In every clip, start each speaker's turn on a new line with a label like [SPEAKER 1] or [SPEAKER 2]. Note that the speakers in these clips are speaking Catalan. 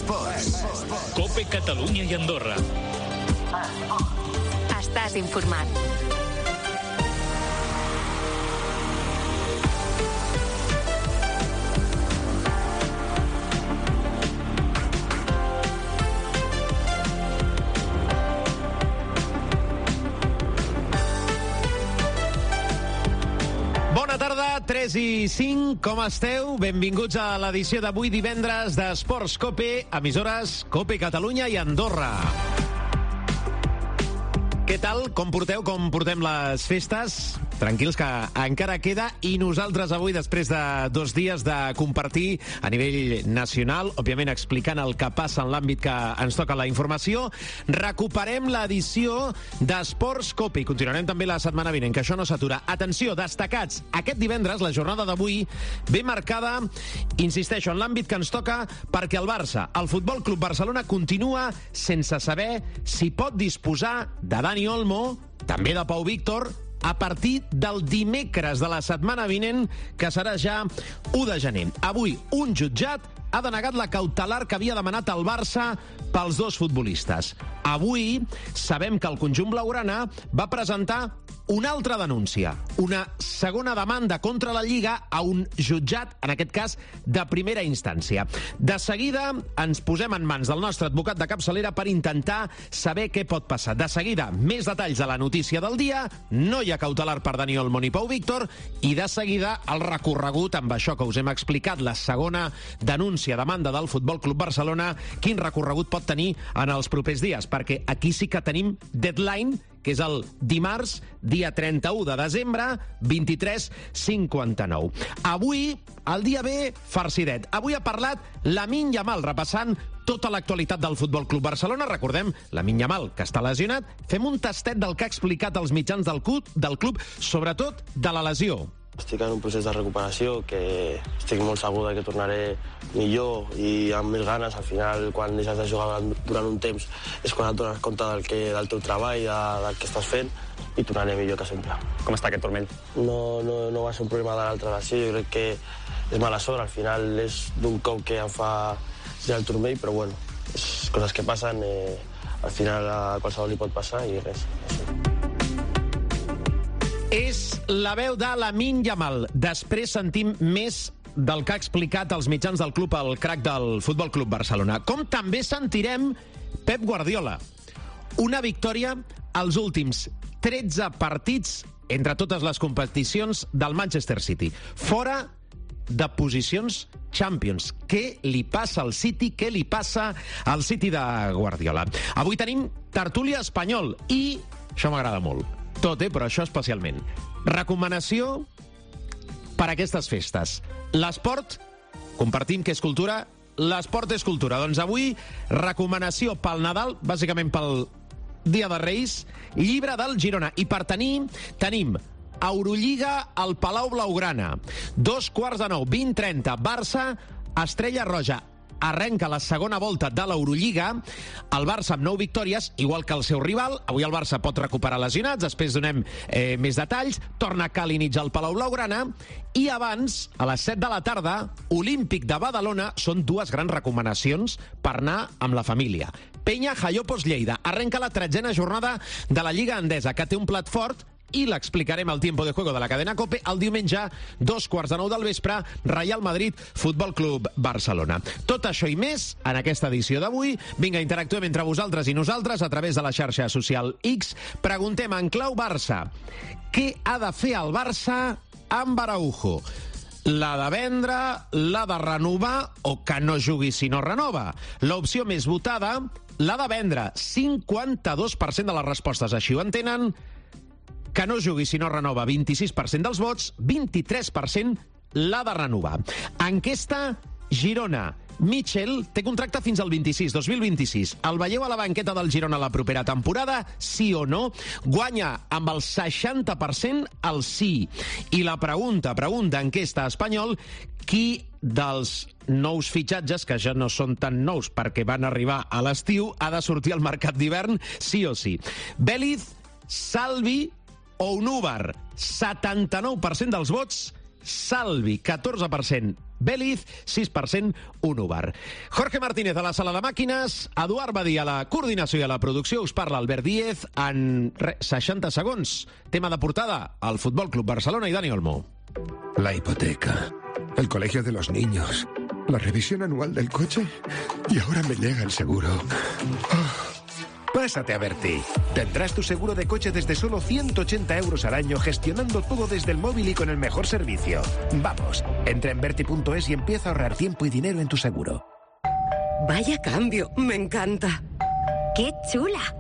[SPEAKER 1] Esports.
[SPEAKER 2] COPE Catalunya i Andorra.
[SPEAKER 3] Estàs informat.
[SPEAKER 4] Bona tarda, 3 i 5, com esteu? Benvinguts a l'edició d'avui divendres d'Esports COPE, emissores COPE Catalunya i Andorra. Què tal? Com porteu? Com portem les festes? Tranquils, que encara queda, i nosaltres avui, després de 2 dies de compartir a nivell nacional, òbviament explicant el que passa en l'àmbit que ens toca la informació, recuperem l'edició d'Esports COPE i continuarem també la setmana vinent, que això no s'atura. Atenció, destacats, aquest divendres, la jornada d'avui, ve marcada, insisteixo, en l'àmbit que ens toca, perquè el Barça, el Futbol Club Barcelona, continua sense saber si pot disposar de Dani Olmo, també de Pau Víctor, a partir del dimecres de la setmana vinent, que serà ja 1 de gener. Avui, un jutjat ha denegat la cautelar que havia demanat el Barça pels 2 futbolistes. Avui sabem que el conjunt blaugrana va presentar una altra denúncia, una segona demanda contra la Lliga a un jutjat, en aquest cas, de primera instància. De seguida ens posem en mans del nostre advocat de capçalera per intentar saber què pot passar. De seguida, més detalls de la notícia del dia, no hi ha cautelar per Dani Olmo ni Pau Víctor, i de seguida el recorregut amb això que us hem explicat, la segona denúncia, demanda del Futbol Club Barcelona, quin recorregut pot tenir en els propers dies, perquè aquí sí que tenim deadline, que és el dimarts, dia 31 de desembre, 23:59. Avui, el dia ve farcidet. Avui ha parlat Lamine Yamal, repassant tota l'actualitat del Futbol Club Barcelona. Recordem, Lamine Yamal, que està lesionat. Fem un tastet del que ha explicat als mitjans del club, sobretot de la lesió.
[SPEAKER 5] Estic en un procés de recuperació que estic molt segur que tornaré millor i amb més ganes. Al final, quan deixes de jugar durant un temps, és quan et dones compte del teu treball, del que estàs fent, i tornaré millor que sempre.
[SPEAKER 6] Com està aquest turmell?
[SPEAKER 5] No va ser un problema de l'altra lesió, jo crec que és mala sort. Al final és d'un cop que em fa girar el turmell, però bueno, és coses que passen, al final a qualsevol li pot passar i res.
[SPEAKER 4] És la veu de Lamine Yamal. Després sentim més del que ha explicat als mitjans del club el crac del Futbol Club Barcelona. Com també sentirem Pep Guardiola. Una victòria als últims 13 partits entre totes les competicions del Manchester City. Fora de posicions Champions. Què li passa al City? Què li passa al City de Guardiola? Avui tenim tertúlia espanyol i això m'agrada molt. Tot, però això especialment. Recomanació per a aquestes festes. L'esport, compartim que és cultura, l'esport és cultura. Doncs avui, recomanació pel Nadal, bàsicament pel Dia de Reis, llibre del Girona. I per tenim Eurolliga al Palau Blaugrana. 8:45, 20:30, Barça, Estrella Roja. Arrenca la segona volta de l'Eurolliga, el Barça amb 9 victòries, igual que el seu rival. Avui el Barça pot recuperar lesionats, després donem més detalls. Torna Kalinic al Palau Blaugrana, i abans, a les 7 de la tarda, Olímpic de Badalona. Són 2 grans recomanacions per anar amb la família. Penya Jaiopos Lleida. Arrenca la 13a jornada de la Lliga Endesa, que té un plat fort, i l'explicarem al Tiempo de Juego de la cadena COPE el diumenge, 8:45 del vespre, Real Madrid, Futbol Club Barcelona. Tot això i més en aquesta edició d'avui. Vinga, interactuem entre vosaltres i nosaltres a través de la xarxa social X. Preguntem en clau Barça: què ha de fer el Barça amb Araujo? La de vendre, la de renovar o que no jugui si no renova? L'opció més votada, la de vendre. 52% de les respostes així ho entenen. Que no jugui si no renova, 26% dels vots, 23% la de renovar. Enquesta Girona. Mitchell té contracte fins al 2026. El veieu a la banqueta del Girona la propera temporada? Sí o no? Guanya amb el 60% el sí. I la pregunta enquesta espanyol: qui dels nous fitxatges, que ja no són tan nous perquè van arribar a l'estiu, ha de sortir al mercat d'hivern sí o sí? Vélez, Salvi o Unúvar? 79% dels vots Salvi, 14% Beliz, 6%, Unubar. Jorge Martínez a la sala de màquines, Eduard Badí a la coordinació i a la producció, us parla Albert Díez en 60 segons. Tema de portada, el Futbol Club Barcelona i Dani Olmo.
[SPEAKER 1] La hipoteca, el colegio de los niños, la revisión anual del coche y ahora me llega el seguro. Pásate a Berti. Tendrás tu seguro de coche desde solo 180 euros al año, gestionando todo desde el móvil y con el mejor servicio. Vamos, entra en Berti.es y empieza a ahorrar tiempo y dinero en tu seguro.
[SPEAKER 3] Vaya cambio, me encanta.
[SPEAKER 6] ¡Qué chula!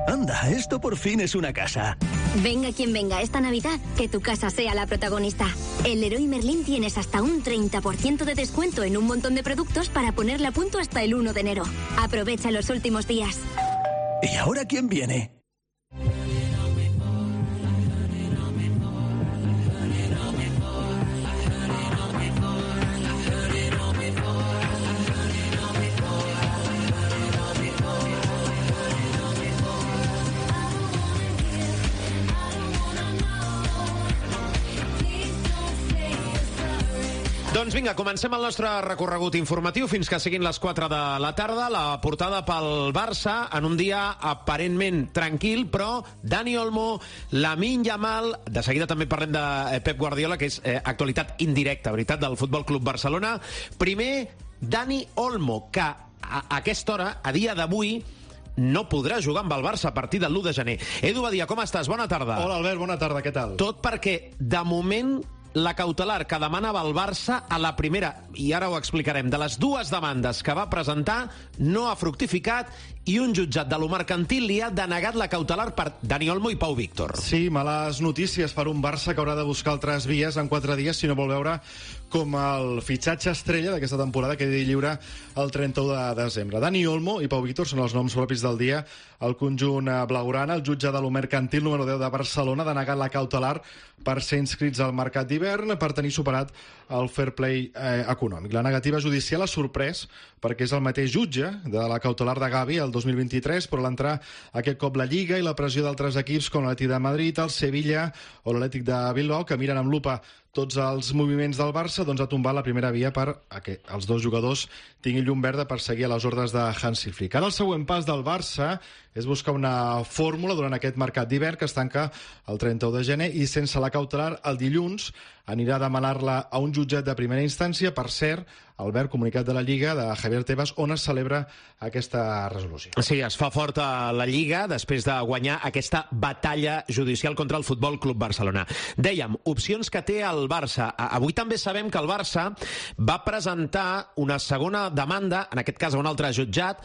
[SPEAKER 7] Anda, esto por fin es una casa.
[SPEAKER 6] Venga quien venga esta Navidad, que tu casa sea la protagonista. En Leroy Merlin tienes hasta un 30% de descuento en un montón de productos para ponerla a punto hasta el 1 de enero. Aprovecha los últimos días.
[SPEAKER 7] ¿Y ahora quién viene?
[SPEAKER 4] Doncs vinga, comencem el nostre recorregut informatiu fins que siguin les 4 de la tarda. La portada pel Barça en un dia aparentment tranquil, però Dani Olmo, Lamine Yamal, de seguida també parlem de Pep Guardiola, que és actualitat indirecta, veritat, del Futbol Club Barcelona. Primer, Dani Olmo, que a aquesta hora, a dia d'avui, no podrà jugar amb el Barça a partir del 1 de gener. Edu Badia, com estàs? Bona tarda.
[SPEAKER 8] Hola, Albert, bona tarda, què tal?
[SPEAKER 4] Tot perquè, de moment, la cautelar que demanava el Barça a la primera, i ara ho explicarem, de les dues demandes que va presentar, no ha fructificat i un jutjat de lo mercantil li ha denegat la cautelar per Dani Olmo i Pau Víctor.
[SPEAKER 8] Sí, males notícies per un Barça que haurà de buscar altres vies en 4 dies si no vol veure com el fitxatge estrella d'aquesta temporada quedi lliure el 31 de desembre. Dani Olmo i Pau Víctor són els noms propis del dia. El conjunt blaugrana, el jutge de lo mercantil número 10 de Barcelona, ha denegat la cautelar per ser inscrits al mercat d'hivern per tenir superat el fair play econòmic. La negativa judicial ha sorprès perquè és el mateix jutge de la cautelar de Gavi el 2023, però l'entrar aquest cop la Lliga i la pressió d'altres equips com l'Atlètic de Madrid, el Sevilla o l'Atlètic de Bilbao, que miren amb lupa tots els moviments del Barça, doncs ha tombat la primera via perquè els dos jugadors tinguin llum verda per seguir a les ordres de Hansi Flick. Ara el següent pas del Barça és buscar una fórmula durant aquest mercat d'hivern que es tanca el 31 de gener i sense la cautelar el dilluns anirà a demanar-la a un jutjat de primera instància. Per cert, Albert, comunicat de la Lliga de Javier Tebas, on es celebra aquesta resolució.
[SPEAKER 4] Sí, es fa fort a la Lliga després de guanyar aquesta batalla judicial contra el Futbol Club Barcelona. Dèiem, opcions que té el Barça. Avui també sabem que el Barça va presentar una segona demanda, en aquest cas a un altre jutjat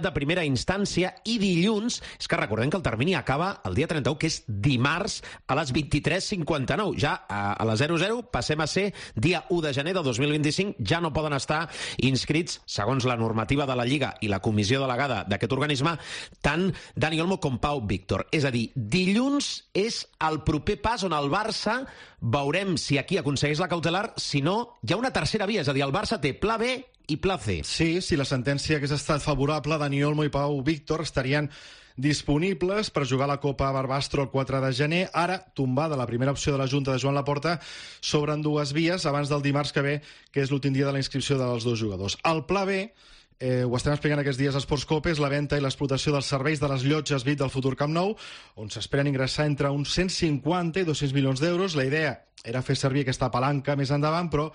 [SPEAKER 4] de primera instància, i dilluns, és que recordem que el termini acaba el dia 31, que és dimarts a les 23:59. Ja a les 00 passem a ser dia 1 de gener de 2025, ja no poden estar inscrits, segons la normativa de la Lliga i la comissió delegada d'aquest organisme, tant Dani Olmo com Pau Víctor. És a dir, dilluns és el proper pas on el Barça veurem si aquí aconsegueix la cautelar, si no, hi ha una tercera via, és a dir, el Barça té pla B i pla C.
[SPEAKER 8] Sí, si la sentència hagués estat favorable, Dani Olmo i Pau Víctor estarien disponibles per jugar la Copa Barbastro el 4 de gener. Ara, tombada la primera opció de la Junta de Joan Laporta, s'obren dues vies abans del dimarts que ve, que és l'últim dia de la inscripció dels dos jugadors. El pla B, ho estem explicant aquests dies a Sports Cope, és la venda i l'explotació dels serveis de les llotges VIP del futur Camp Nou, on s'esperen ingressar entre uns 150 i 200 milions d'euros. La idea era fer servir aquesta palanca més endavant, però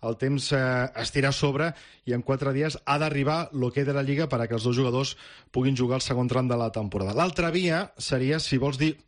[SPEAKER 8] el temps es tira a sobre i en 4 dies ha d'arribar l'hoquei de la Lliga perquè els dos jugadors puguin jugar el segon tram de la temporada. L'altra via seria, si vols dir,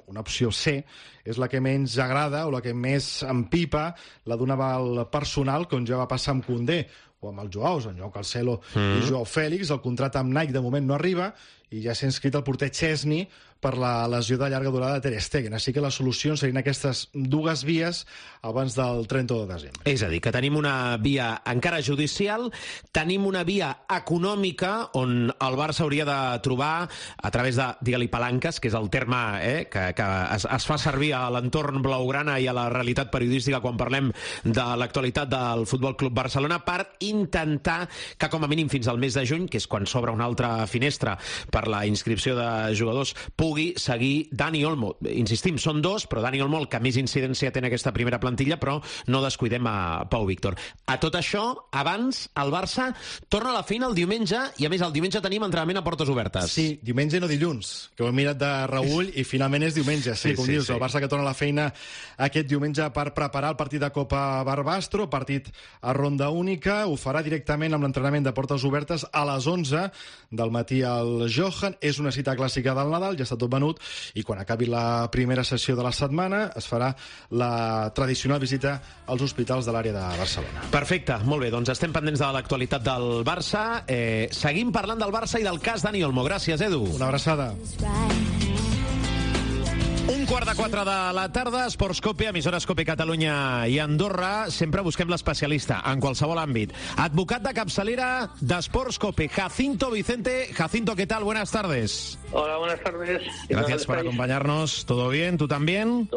[SPEAKER 8] una opció C, és la que menys agrada o la que més empipa, la d'un aval personal, com ja va passar amb Koundé o amb els Joaos, en Joao Cancelo i Joao Fèlix. El contracte amb Nike de moment no arriba i ja s'ha inscrit el porter Chesney per la lesió de llarga durada de Ter Stegen. Així que les solucions serien aquestes dues vies abans del 30 de desembre.
[SPEAKER 4] És a dir, que tenim una via encara judicial, tenim una via econòmica on el Barça hauria de trobar, a través de, digue-li, palanques, que és el terme que es fa servir a l'entorn blaugrana i a la realitat periodística quan parlem de l'actualitat del Futbol Club Barcelona, per intentar que com a mínim fins al mes de juny, que és quan s'obre una altra finestra per la inscripció de jugadors, pugui seguir Dani Olmo. Insistim, són dos, però Dani Olmo el que més incidència té en aquesta primera plantilla, però no descuidem a Pau Víctor. A tot això, abans, el Barça torna a la feina el diumenge, i a més el diumenge tenim entrenament a portes obertes.
[SPEAKER 8] Sí, diumenge no dilluns, que ho he mirat de reüll i finalment és diumenge, sí, com dius, el Barça que torna a la feina aquest diumenge per preparar el partit de Copa Barbastro, partit a ronda única, ho farà directament amb l'entrenament de portes obertes a les 11 del matí al Johan. És una cita clàssica del Nadal, ja està tot venut, i quan acabi la primera sessió de la setmana es farà la tradicional visita als hospitals de l'àrea de Barcelona.
[SPEAKER 4] Perfecte, molt bé, doncs estem pendents de l'actualitat del Barça. Seguim parlant del Barça i del cas Dani Olmo. Gràcies, Edu.
[SPEAKER 8] Una abraçada.
[SPEAKER 4] 3:45 de la tarda, Esports Cope, emissores Cope Catalunya i Andorra. Sempre busquem l'especialista en qualsevol àmbit. Advocat de capçalera d'Esports Cope, Jacinto Vicente. Jacinto, ¿qué tal? Buenas tardes.
[SPEAKER 9] Hola, buenas tardes.
[SPEAKER 4] Gracias por acompañarnos. ¿Todo bien? ¿Tú también?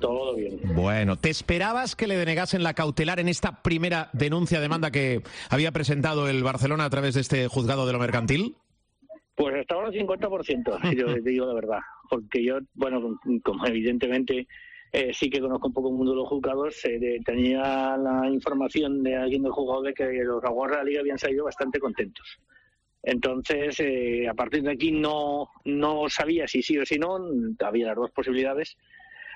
[SPEAKER 9] Todo bien.
[SPEAKER 4] Bueno, ¿te esperabas que le denegasen la cautelar en esta primera demanda que había presentado el Barcelona a través de este juzgado de lo mercantil?
[SPEAKER 9] Pues hasta ahora 50%, si yo te digo la verdad. Porque yo, bueno, como evidentemente sí que conozco un poco el mundo de los juzgados, tenía la información de alguien del juzgado de que los aguas de la Liga habían salido bastante contentos. Entonces, a partir de aquí no sabía si sí o si no, había las dos posibilidades.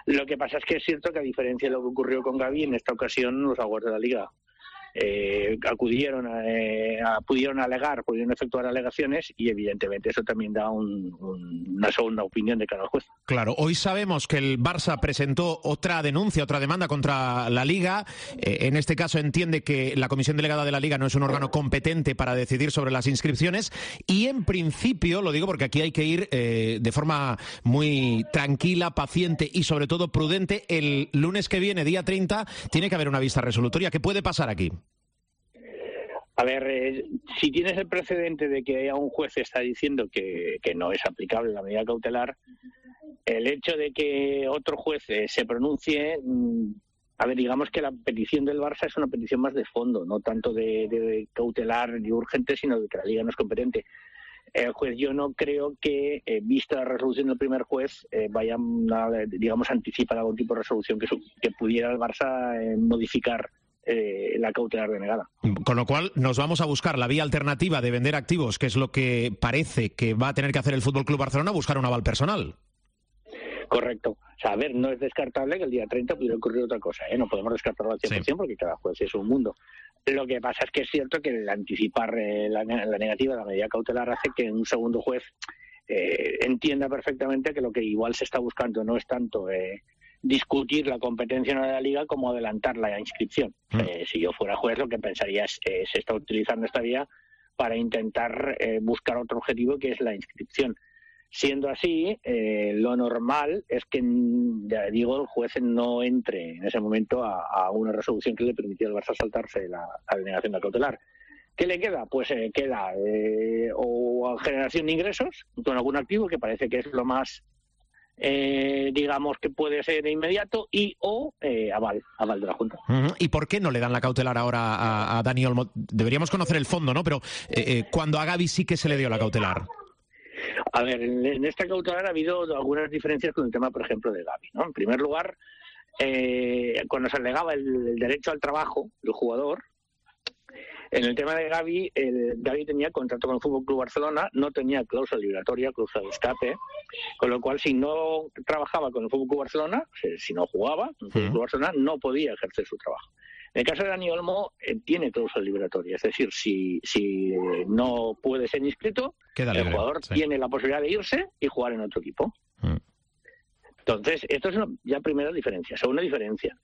[SPEAKER 9] Lo que pasa es que es cierto que, a diferencia de lo que ocurrió con Gavi, en esta ocasión los aguas de la Liga pudieron alegar, pudieron efectuar alegaciones, y evidentemente eso también da una segunda opinión de cada juez.
[SPEAKER 4] Claro, hoy sabemos que el Barça presentó otra demanda contra la Liga. En este caso entiende que la comisión delegada de la Liga no es un órgano competente para decidir sobre las inscripciones, y en principio, lo digo porque aquí hay que ir de forma muy tranquila, paciente y sobre todo prudente, el lunes que viene, día 30, tiene que haber una vista resolutoria. ¿Qué puede pasar aquí?
[SPEAKER 9] A ver, si tienes el precedente de que un juez está diciendo que no es aplicable la medida cautelar, el hecho de que otro juez se pronuncie, a ver, digamos que la petición del Barça es una petición más de fondo, no tanto de cautelar y urgente, sino de que la Liga no es competente. El juez, yo no creo que, vista la resolución del primer juez, vayan a, digamos, anticipar algún tipo de resolución que pudiera el Barça modificar la cautelar denegada.
[SPEAKER 4] Con lo cual nos vamos a buscar la vía alternativa de vender activos, que es lo que parece que va a tener que hacer el FC Barcelona, buscar un aval personal.
[SPEAKER 9] Correcto. O sea, a ver, no es descartable que el día 30 pudiera ocurrir otra cosa, ¿eh? No podemos descartarlo al 100%, sí, porque cada juez es un mundo. Lo que pasa es que es cierto que el anticipar la negativa de la medida cautelar hace que un segundo juez entienda perfectamente que lo que igual se está buscando no es tanto discutir la competencia de la Liga como adelantar la inscripción. Si yo fuera juez, lo que pensaría es se está utilizando esta vía para intentar buscar otro objetivo, que es la inscripción. Siendo así, lo normal es que, ya digo, el juez no entre en ese momento a una resolución que le permitiera al Barça saltarse la denegación de cautelar. ¿Qué le queda? Pues queda o generación de ingresos con algún activo, que parece que es lo más, digamos, que puede ser inmediato, o aval de la Junta.
[SPEAKER 4] ¿Y por qué no le dan la cautelar ahora a Dani Olmo? Deberíamos conocer el fondo, ¿no? Pero cuando a Gavi sí que se le dio la cautelar.
[SPEAKER 9] A ver, en esta cautelar ha habido algunas diferencias con el tema, por ejemplo, de Gavi, ¿no? En primer lugar, cuando se alegaba el derecho al trabajo del jugador, en el tema de Gavi, Gavi tenía contrato con el FC Barcelona, no tenía cláusula liberatoria, cláusula de escape, con lo cual, si no trabajaba con el FC Barcelona, si no jugaba en el FC Barcelona, no podía ejercer su trabajo. En el caso de Dani Olmo, tiene cláusula liberatoria, es decir, si no puede ser inscrito, el jugador tiene la posibilidad de irse y jugar en otro equipo. Entonces, esto es ya primera diferencia. Segunda diferencia,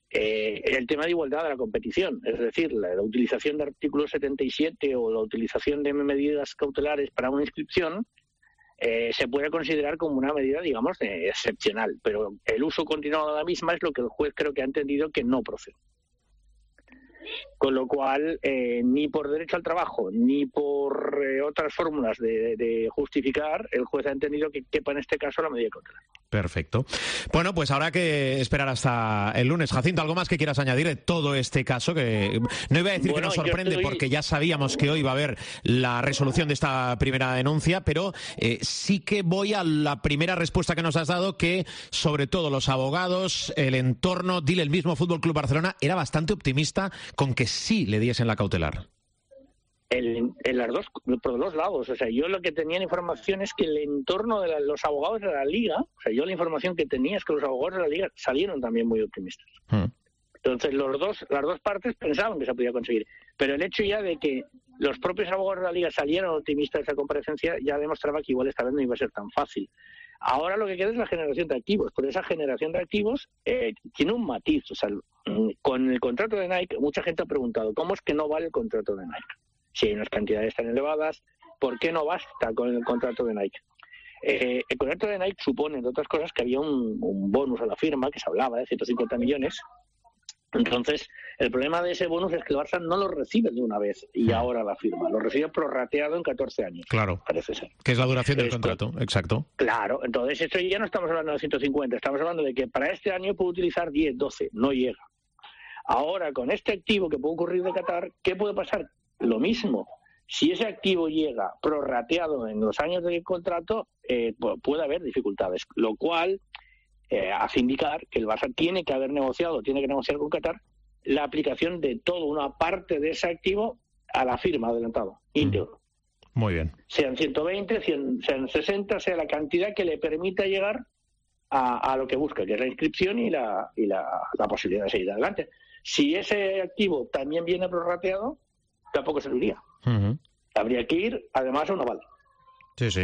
[SPEAKER 9] el tema de igualdad de la competición, es decir, la utilización de artículo 77 o la utilización de medidas cautelares para una inscripción se puede considerar como una medida, digamos, excepcional, pero el uso continuado de la misma es lo que el juez creo que ha entendido que no procede. Con lo cual, ni por derecho al trabajo, ni por otras fórmulas de justificar, el juez ha entendido que quepa en este caso la medida cautelar.
[SPEAKER 4] Perfecto. Bueno, pues habrá que esperar hasta el lunes. Jacinto, ¿algo más que quieras añadir de todo este caso? Que no iba a decir que nos sorprende porque ya sabíamos que hoy va a haber la resolución de esta primera denuncia, pero sí que voy a la primera respuesta que nos has dado, que sobre todo los abogados, el entorno, dile el mismo Fútbol Club Barcelona, era bastante optimista con que sí le diesen la cautelar.
[SPEAKER 9] Por los dos lados. O sea, yo lo que tenía en información es que el entorno de los abogados de la Liga, o sea, yo la información que tenía es que los abogados de la Liga salieron también muy optimistas. Entonces, las dos partes pensaban que se podía conseguir. Pero el hecho ya de que los propios abogados de la Liga salieron optimistas de esa comparecencia ya demostraba que igual esta vez no iba a ser tan fácil. Ahora lo que queda es la generación de activos, pero esa generación de activos tiene un matiz. O sea, con el contrato de Nike, mucha gente ha preguntado, ¿cómo es que no vale el contrato de Nike? Si hay unas cantidades tan elevadas, ¿por qué no basta con el contrato de Nike? El contrato de Nike supone, entre otras cosas, que había un bonus a la firma, que se hablaba de 150 millones. Entonces, el problema de ese bonus es que el Barça no lo recibe de una vez y ahora la firma. Lo recibe prorrateado en 14 años.
[SPEAKER 4] Claro.
[SPEAKER 9] Parece ser.
[SPEAKER 4] Que es la duración del contrato, exacto.
[SPEAKER 9] Claro. Entonces, esto ya no estamos hablando de 150. Estamos hablando de que para este año puede utilizar 10, 12. No llega. Ahora, con este activo que puede ocurrir de Qatar, ¿qué puede pasar? Lo mismo. Si ese activo llega prorrateado en los años del contrato, puede haber dificultades. Lo cual hace indicar que el Barça tiene que negociar con Qatar la aplicación de toda una parte de ese activo a la firma adelantado, íntegro.
[SPEAKER 4] Muy bien.
[SPEAKER 9] Sean 120, sean 60, sea la cantidad que le permita llegar a lo que busca, que es la inscripción y la posibilidad de seguir adelante. Si ese activo también viene prorrateado, tampoco serviría. Habría que ir, además, a un aval.
[SPEAKER 4] Sí, sí.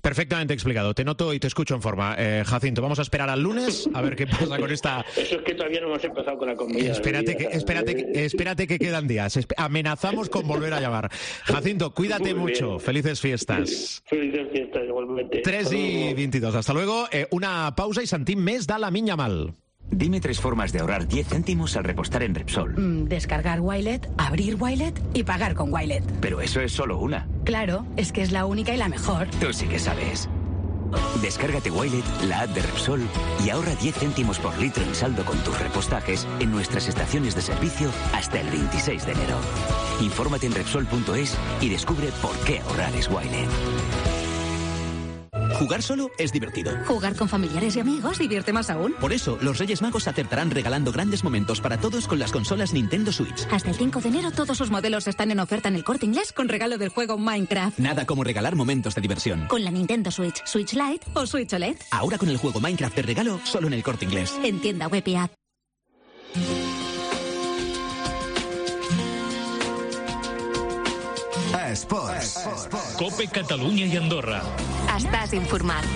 [SPEAKER 4] Perfectamente explicado. Te noto y te escucho en forma. Jacinto, vamos a esperar al lunes a ver qué pasa con esta...
[SPEAKER 9] Eso es que todavía no hemos empezado con la comida.
[SPEAKER 4] Espérate que quedan días. Amenazamos con volver a llamar. Jacinto, cuídate mucho. Felices fiestas.
[SPEAKER 9] Felices fiestas, igualmente.
[SPEAKER 4] 3:22. Hasta luego. Una pausa y sentim més de Lamine Yamal.
[SPEAKER 10] Dime 3 formas de ahorrar 10 céntimos al repostar en Repsol.
[SPEAKER 11] Descargar Wilet, abrir Wilet y pagar con Wilet.
[SPEAKER 10] Pero eso es solo una.
[SPEAKER 11] Claro, es que es la única y la mejor.
[SPEAKER 10] Tú sí que sabes. Descárgate Wilet, la app de Repsol, y ahorra 10 céntimos por litro en saldo con tus repostajes en nuestras estaciones de servicio hasta el 26 de enero. Infórmate en Repsol.es y descubre por qué ahorrar es Wilet.
[SPEAKER 12] Jugar solo es divertido.
[SPEAKER 11] Jugar con familiares y amigos divierte más aún.
[SPEAKER 12] Por eso, los Reyes Magos acertarán regalando grandes momentos para todos con las consolas Nintendo Switch.
[SPEAKER 11] Hasta el 5 de enero todos sus modelos están en oferta en El Corte Inglés con regalo del juego Minecraft.
[SPEAKER 12] Nada como regalar momentos de diversión.
[SPEAKER 11] Con la Nintendo Switch, Switch Lite o Switch OLED.
[SPEAKER 12] Ahora con el juego Minecraft de regalo, solo en El Corte Inglés.
[SPEAKER 11] En tienda web y app.
[SPEAKER 2] Esports. Cope Catalunya i Andorra.
[SPEAKER 3] Estàs informat.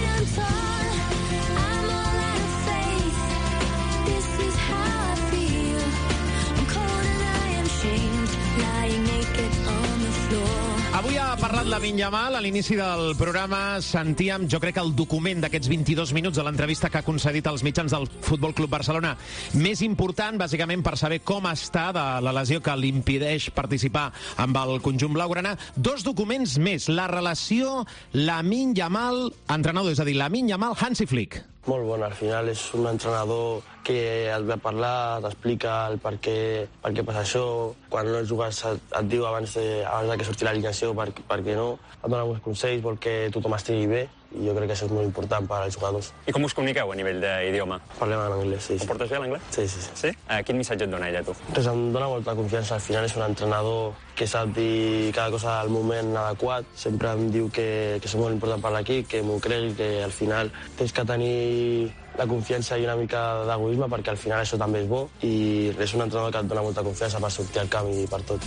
[SPEAKER 4] Avui ha parlat Lamine Yamal. A l'inici del programa sentíem, jo crec que el document d'aquests 22 minuts de l'entrevista que ha concedit als mitjans del Futbol Club Barcelona més important, bàsicament per saber com està de la lesió que l'impedeix participar amb el conjunt blaugrana. 2 documents més. La relació Lamine Yamal-entrenador, és a dir, Lamine Yamal-Hansi Flick.
[SPEAKER 5] Molt bon, al final és un entrenador que et ve a parlar, t'explica el per què passa això, quan no jugues et diu abans de que surti l'alineació per què no, et dona uns consells, vol que tothom estigui bé, i jo crec que això és molt important per als jugadors.
[SPEAKER 13] I com us comuniqueu a nivell d'idioma?
[SPEAKER 5] Parlem en anglès, sí.
[SPEAKER 13] Ho portes bé, l'anglès?
[SPEAKER 5] Sí, sí.
[SPEAKER 13] Sí? Quin missatge et dona ella, tu?
[SPEAKER 5] Pues em dona molta confiança, al final és un entrenador que sap dir cada cosa al moment adequat, sempre em diu que és molt important per l'equip, que m'ho cregui, que al final tens que tenir la confiança i una mica d'egoisme perquè al final això també és bo i és un entrenador que et dona molta confiança per sortir al camp i per tot.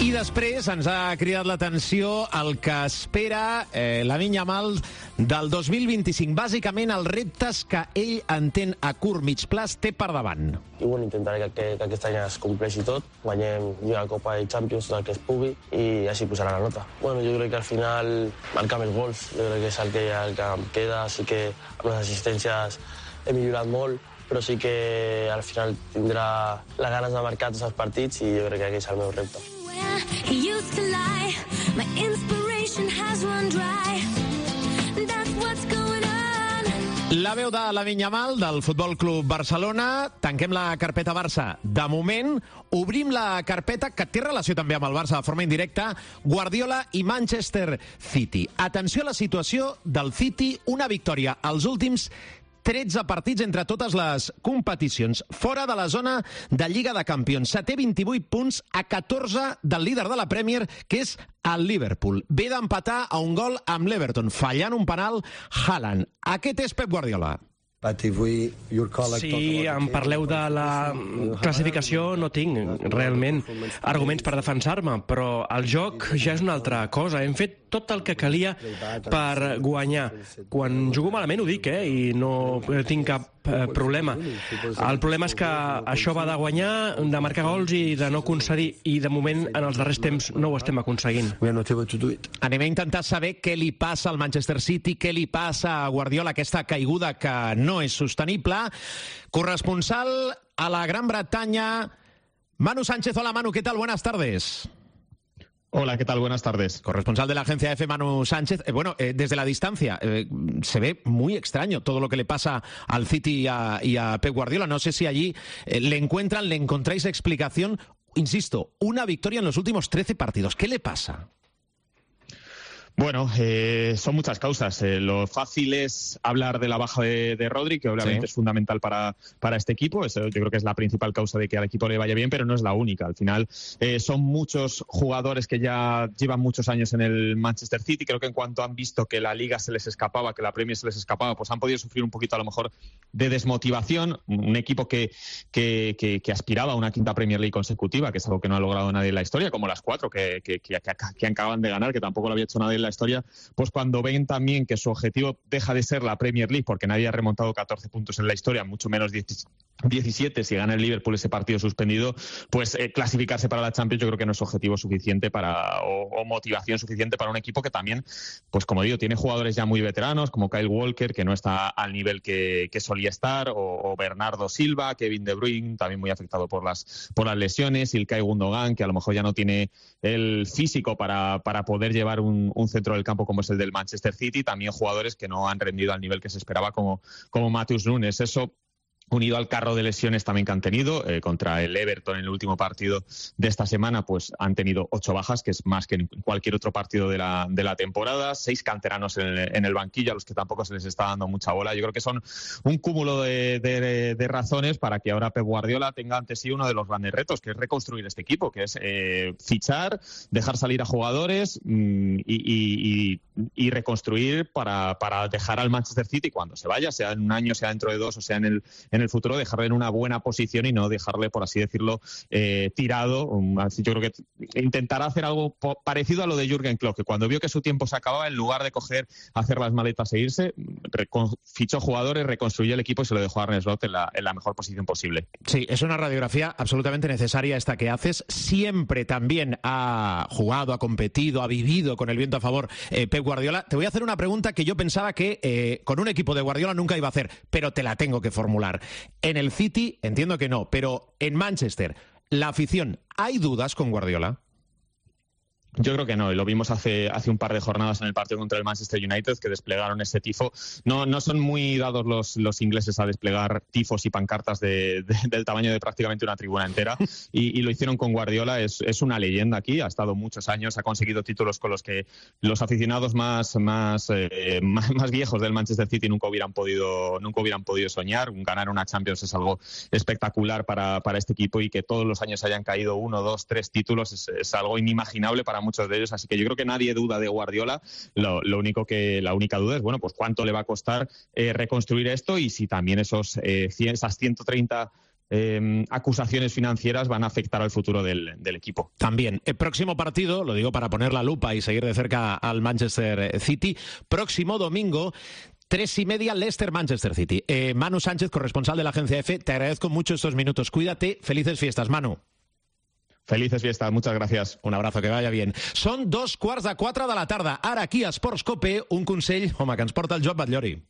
[SPEAKER 4] I després ens ha cridat l'atenció el que espera Lamine Yamal del 2025. Bàsicament, els reptes que ell entén a curt mig plaç té per davant.
[SPEAKER 5] I bueno, intentaré que aquest any es compleixi tot, guanyem Lliga, Copa i Champions, tot el que es pugui, i així posarà la nota. Bueno, jo crec que al final marcar més gols, jo crec que és el que em queda, així que amb les assistències he millorat molt, però sí que al final tindrà les ganes de marcar tots els partits i jo crec que aquest és el meu repte.
[SPEAKER 4] La veu de Lamine Yamal, del Futbol Club Barcelona. Tanquem la carpeta Barça. De moment, obrim la carpeta que té relació també amb el Barça de forma indirecta, Guardiola i Manchester City. Atenció a la situació del City, una victòria als últims 13 partits entre totes les competicions, fora de la zona de Lliga de Campions. Se té 28 punts a 14 del líder de la Premier, que és el Liverpool. Ve d'empatar a un gol amb l'Everton, fallant un penal Haaland. Aquest és Pep Guardiola.
[SPEAKER 14] Si em parleu de la classificació, no tinc realment arguments per defensar-me, però el joc ja és una altra cosa. Hem fet tot el que calia per guanyar. Quan jugo malament ho dic, i no tinc cap problema. El problema és que això va de guanyar, de marcar gols i de no concedir, i de moment en els darrers temps no ho estem aconseguint.
[SPEAKER 4] Anem a intentar saber què li passa al Manchester City, què li passa a Guardiola, aquesta caiguda que no és sostenible. Corresponsal a la Gran Bretanya, Manu Sánchez. Hola, Manu, ¿qué tal? Buenas tardes.
[SPEAKER 15] Hola, ¿qué tal? Buenas tardes.
[SPEAKER 4] Corresponsal de la agencia EFE, Manu Sánchez. Desde la distancia, se ve muy extraño todo lo que le pasa al City y a Pep Guardiola. No sé si allí le encontráis explicación. Insisto, una victoria en los últimos 13 partidos. ¿Qué le pasa?
[SPEAKER 15] Bueno, son muchas causas. Lo fácil es hablar de la baja de Rodri, que obviamente es fundamental para este equipo. Eso yo creo que es la principal causa de que al equipo le vaya bien, pero no es la única. Al final son muchos jugadores que ya llevan muchos años en el Manchester City. Creo que en cuanto han visto que la Liga se les escapaba, que la Premier se les escapaba, pues han podido sufrir un poquito a lo mejor de desmotivación. Un equipo que aspiraba a una quinta Premier League consecutiva, que es algo que no ha logrado nadie en la historia, como las 4 que acaban de ganar, que tampoco lo había hecho nadie en la historia, pues cuando ven también que su objetivo deja de ser la Premier League, porque nadie ha remontado 14 puntos en la historia, mucho menos 17 si gana el Liverpool ese partido suspendido, pues clasificarse para la Champions yo creo que no es objetivo suficiente o motivación suficiente para un equipo que también, pues como digo, tiene jugadores ya muy veteranos, como Kyle Walker, que no está al nivel que solía estar, o Bernardo Silva, Kevin De Bruyne, también muy afectado por las lesiones, Ilkay Gundogan, que a lo mejor ya no tiene el físico para poder llevar un centro del campo como es el del Manchester City, también jugadores que no han rendido al nivel que se esperaba como Matheus Nunes. Eso unido al carro de lesiones también que han tenido, contra el Everton en el último partido de esta semana, pues han tenido 8 bajas, que es más que en cualquier otro partido de la temporada, 6 canteranos en el banquillo, a los que tampoco se les está dando mucha bola. Yo creo que son un cúmulo de razones para que ahora Pep Guardiola tenga ante sí uno de los grandes retos, que es reconstruir este equipo, que es fichar, dejar salir a jugadores y reconstruir para dejar al Manchester City cuando se vaya, sea en un año, sea dentro de 2 o sea en el futuro, dejarle en una buena posición y no dejarle, por así decirlo, tirado. Yo creo que intentará hacer algo parecido a lo de Jürgen Klopp, que cuando vio que su tiempo se acababa, en lugar de hacer las maletas e irse, fichó jugadores, reconstruyó el equipo y se lo dejó a Arne Slot en la mejor posición posible.
[SPEAKER 4] Sí, es una radiografía absolutamente necesaria esta que haces. Siempre también ha jugado, ha competido, ha vivido con el viento a favor Pep Guardiola. Te voy a hacer una pregunta que yo pensaba que con un equipo de Guardiola nunca iba a hacer, pero te la tengo que formular. En el City entiendo que no, pero en Manchester, la afición, ¿hay dudas con Guardiola?
[SPEAKER 15] Yo creo que no, y lo vimos hace un par de jornadas en el partido contra el Manchester United, que desplegaron ese tifo. No son muy dados los ingleses a desplegar tifos y pancartas del tamaño de prácticamente una tribuna entera, y lo hicieron con Guardiola. Es una leyenda aquí, ha estado muchos años, ha conseguido títulos con los que los aficionados más viejos del Manchester City nunca hubieran podido soñar. Ganar una Champions es algo espectacular para este equipo, y que todos los años hayan caído 1, 2, 3 títulos es algo inimaginable para muchos de ellos, así que yo creo que nadie duda de Guardiola. La única duda es, bueno, pues cuánto le va a costar reconstruir esto, y si también esas 130 acusaciones financieras van a afectar al futuro del equipo.
[SPEAKER 4] También, el próximo partido, lo digo para poner la lupa y seguir de cerca al Manchester City, próximo domingo, 3:30, Leicester-Manchester City. Manu Sánchez, corresponsal de la agencia EFE, te agradezco mucho estos minutos. Cuídate, felices fiestas, Manu.
[SPEAKER 15] Felices fiestas, muchas gracias.
[SPEAKER 4] Un abrazo, que vaya bien. Són 3:15 de la tarda. Ara aquí a Esports Cope, un consell, home, que ens porta el Joan Batllori.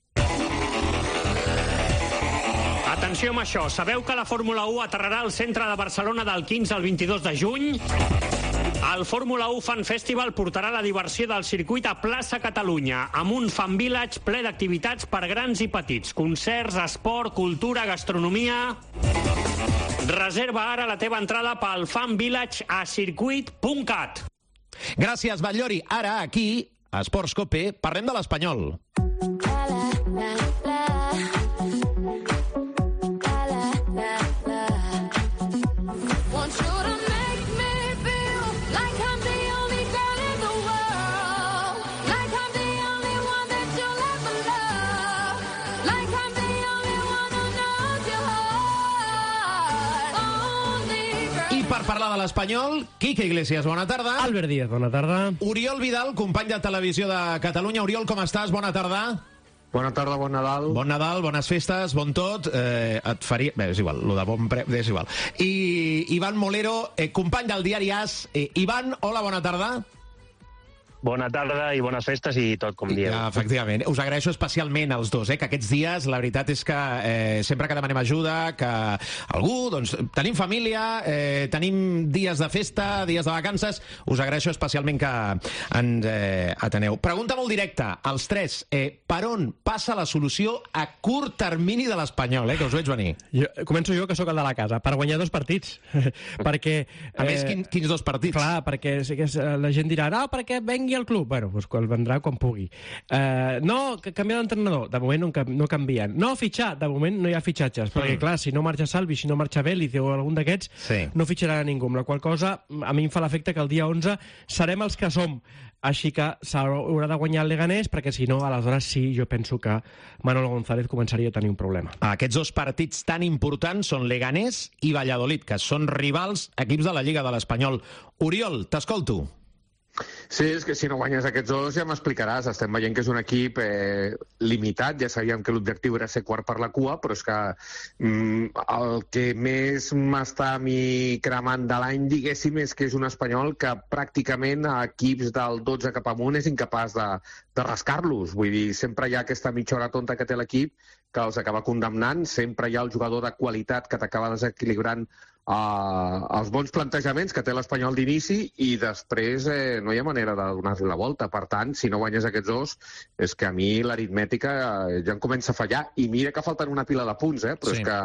[SPEAKER 16] Atenció amb això, sabeu que la Fórmula 1 aterrarà al centre de Barcelona del 15 al 22 de juny? El Fórmula 1 Fan Festival portarà la diversió del circuit a Plaça Catalunya, amb un fan village ple d'activitats per grans i petits, concerts, esport, cultura, gastronomia... Reserva ara la teva entrada pel Fan Village a circuit.cat.
[SPEAKER 4] Gràcies, Batllori. Ara, aquí, a Esports Cope, parlem de l'Espanyol. Per parlar de l'Espanyol, Quique Iglesias, bona tarda.
[SPEAKER 14] Albert Díaz, bona tarda.
[SPEAKER 4] Oriol Vidal, company de Televisió de Catalunya. Oriol, com estàs? Bona tarda.
[SPEAKER 17] Bona tarda, bon Nadal.
[SPEAKER 4] Bon Nadal, bones festes, bon tot. Et faria... Bé, és igual, lo de bon és igual. I Ivan Molero, company del diari AS. Ivan, hola, bona tarda.
[SPEAKER 18] Bona tarda i bones festes i tot, com dieu.
[SPEAKER 4] Ja, efectivament. Us agraeixo especialment als dos, que aquests dies, la veritat és que sempre que demanem ajuda, que algú, doncs, tenim família, tenim dies de festa, dies de vacances, us agraeixo especialment que ens ateneu. Pregunta molt directa, als tres, per on passa la solució a curt termini de l'Espanyol, que us veig venir?
[SPEAKER 14] Començo jo, que sóc el de la casa, per guanyar 2 partits. Perquè...
[SPEAKER 4] A més, quins 2 partits?
[SPEAKER 14] Clar, perquè la gent dirà, no, perquè vengui el club. Bueno, doncs quan vendrà quan pugui. No, canviar d'entrenador. De moment no canvien. No fitxar. De moment no hi ha fitxatges. Perquè, clar, si no marxa Salvi, si no marxa Vélez o algun d'aquests, no fitxarà a ningú. Amb la qual cosa, a mi em fa l'efecte que el dia 11 serem els que som. Així que s'haurà de guanyar el Leganés, perquè si no, aleshores sí, jo penso que Manolo González començaria a tenir un problema.
[SPEAKER 4] Aquests 2 partits tan importants són Leganés i Valladolid, que són rivals equips de la Lliga de l'Espanyol. Oriol, t'escolto.
[SPEAKER 17] Sí, és que si no guanyes aquests 2 ja m'explicaràs. Estem veient que és un equip limitat. Ja sabíem que l'objectiu era ser quart per la cua, però és que el que més m'està a mi cremant de l'any, diguéssim, és que és un Espanyol que pràcticament a equips del 12 cap amunt és incapaç de rascar-los. Vull dir, sempre hi ha aquesta mitja hora tonta que té l'equip que els acaba condemnant, sempre hi ha el jugador de qualitat que t'acaba desequilibrant els bons plantejaments que té l'Espanyol d'inici i després no hi ha manera de donar-li la volta. Per tant, si no guanyes aquests 2, és que a mi l'aritmètica ja em comença a fallar. I mira que falten una pila de punts, però és que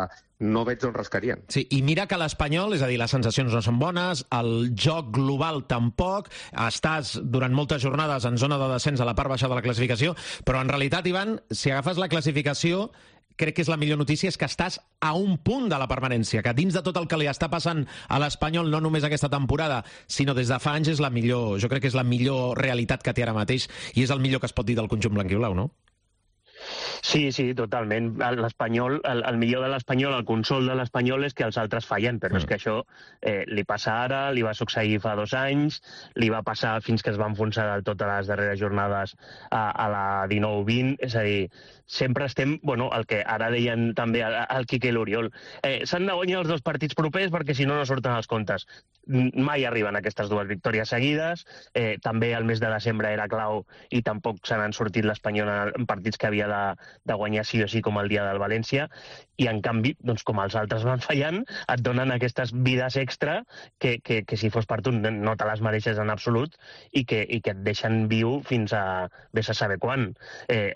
[SPEAKER 17] no veig on rascarien.
[SPEAKER 4] Sí, i mira que l'Espanyol, és a dir, les sensacions no són bones, el joc global tampoc, estàs durant moltes jornades en zona de descens a la part baixa de la classificació, però en realitat, Ivan, si agafes la classificació, crec que és la millor notícia, és que estàs a un punt de la permanència, que dins de tot el que li està passant a l'Espanyol, no només aquesta temporada, sinó des de fa anys, és la millor, jo crec que és la millor realitat que té ara mateix, i és el millor que es pot dir del conjunt blanquiblau, no?
[SPEAKER 18] Sí, totalment. L'Espanyol, el millor de l'Espanyol, el consol de l'Espanyol és que els altres fallen, però és que això li passa ara, li va succeir fa 2 anys, li va passar fins que es va enfonsar del tot a les darreres jornades a la 19-20, és a dir, sempre estem, el que ara deien també el Quique i l'Oriol, s'han de guanyar els 2 partits propers perquè si no surten els comptes. Mai arriben aquestes 2 victòries seguides, també el mes de desembre era clau i tampoc se n'han sortit l'Espanyol en partits que havia de guanyar sí o sí, com el dia del València, i en canvi, doncs, com els altres van fallant, et donen aquestes vides extra que si fos per tu no te les mereixes en absolut i que et deixen viu fins a vés a saber quan.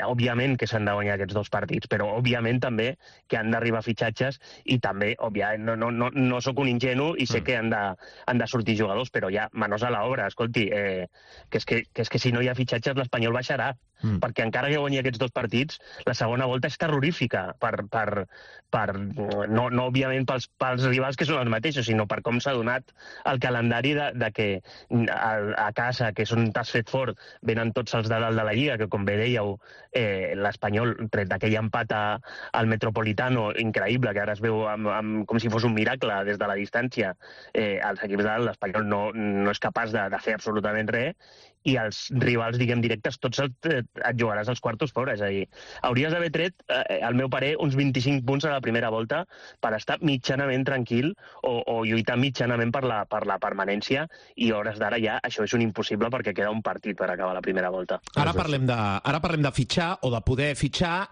[SPEAKER 18] Òbviament que s'han de guanyar aquests 2 partits, però òbviament també que han d'arribar fitxatges i també, òbviament, no sóc un ingenu i sé que han de sortir jugadors, però ja, manos a l'obra, escolti, que és que si no hi ha fitxatges l'Espanyol baixarà, perquè encara que guanyi aquests 2 partits, la segona volta és terrorífica no òbviament pels rivals que són els mateixos, sinó per com s'ha donat el calendari de que a casa, que és on t'has fet fort, venen tots els de dalt de la Lliga, que com bé dèieu, l'Espanyol, tret d'aquell empat al Metropolitano, increïble, que ara es veu com si fos un miracle des de la distància, els equips de dalt, l'Espanyol no és capaç de fer absolutament res, i els rivals, diguem, directes, tots et jugaràs als quartos fora. És a dir, hauries d'haver tret, al meu parer, uns 25 punts a la primera volta per estar mitjanament tranquil o lluitar mitjanament per la permanència, i a hores d'ara ja això és un impossible perquè queda un partit per acabar la primera volta.
[SPEAKER 4] Ara parlem de fitxar o de poder fitxar.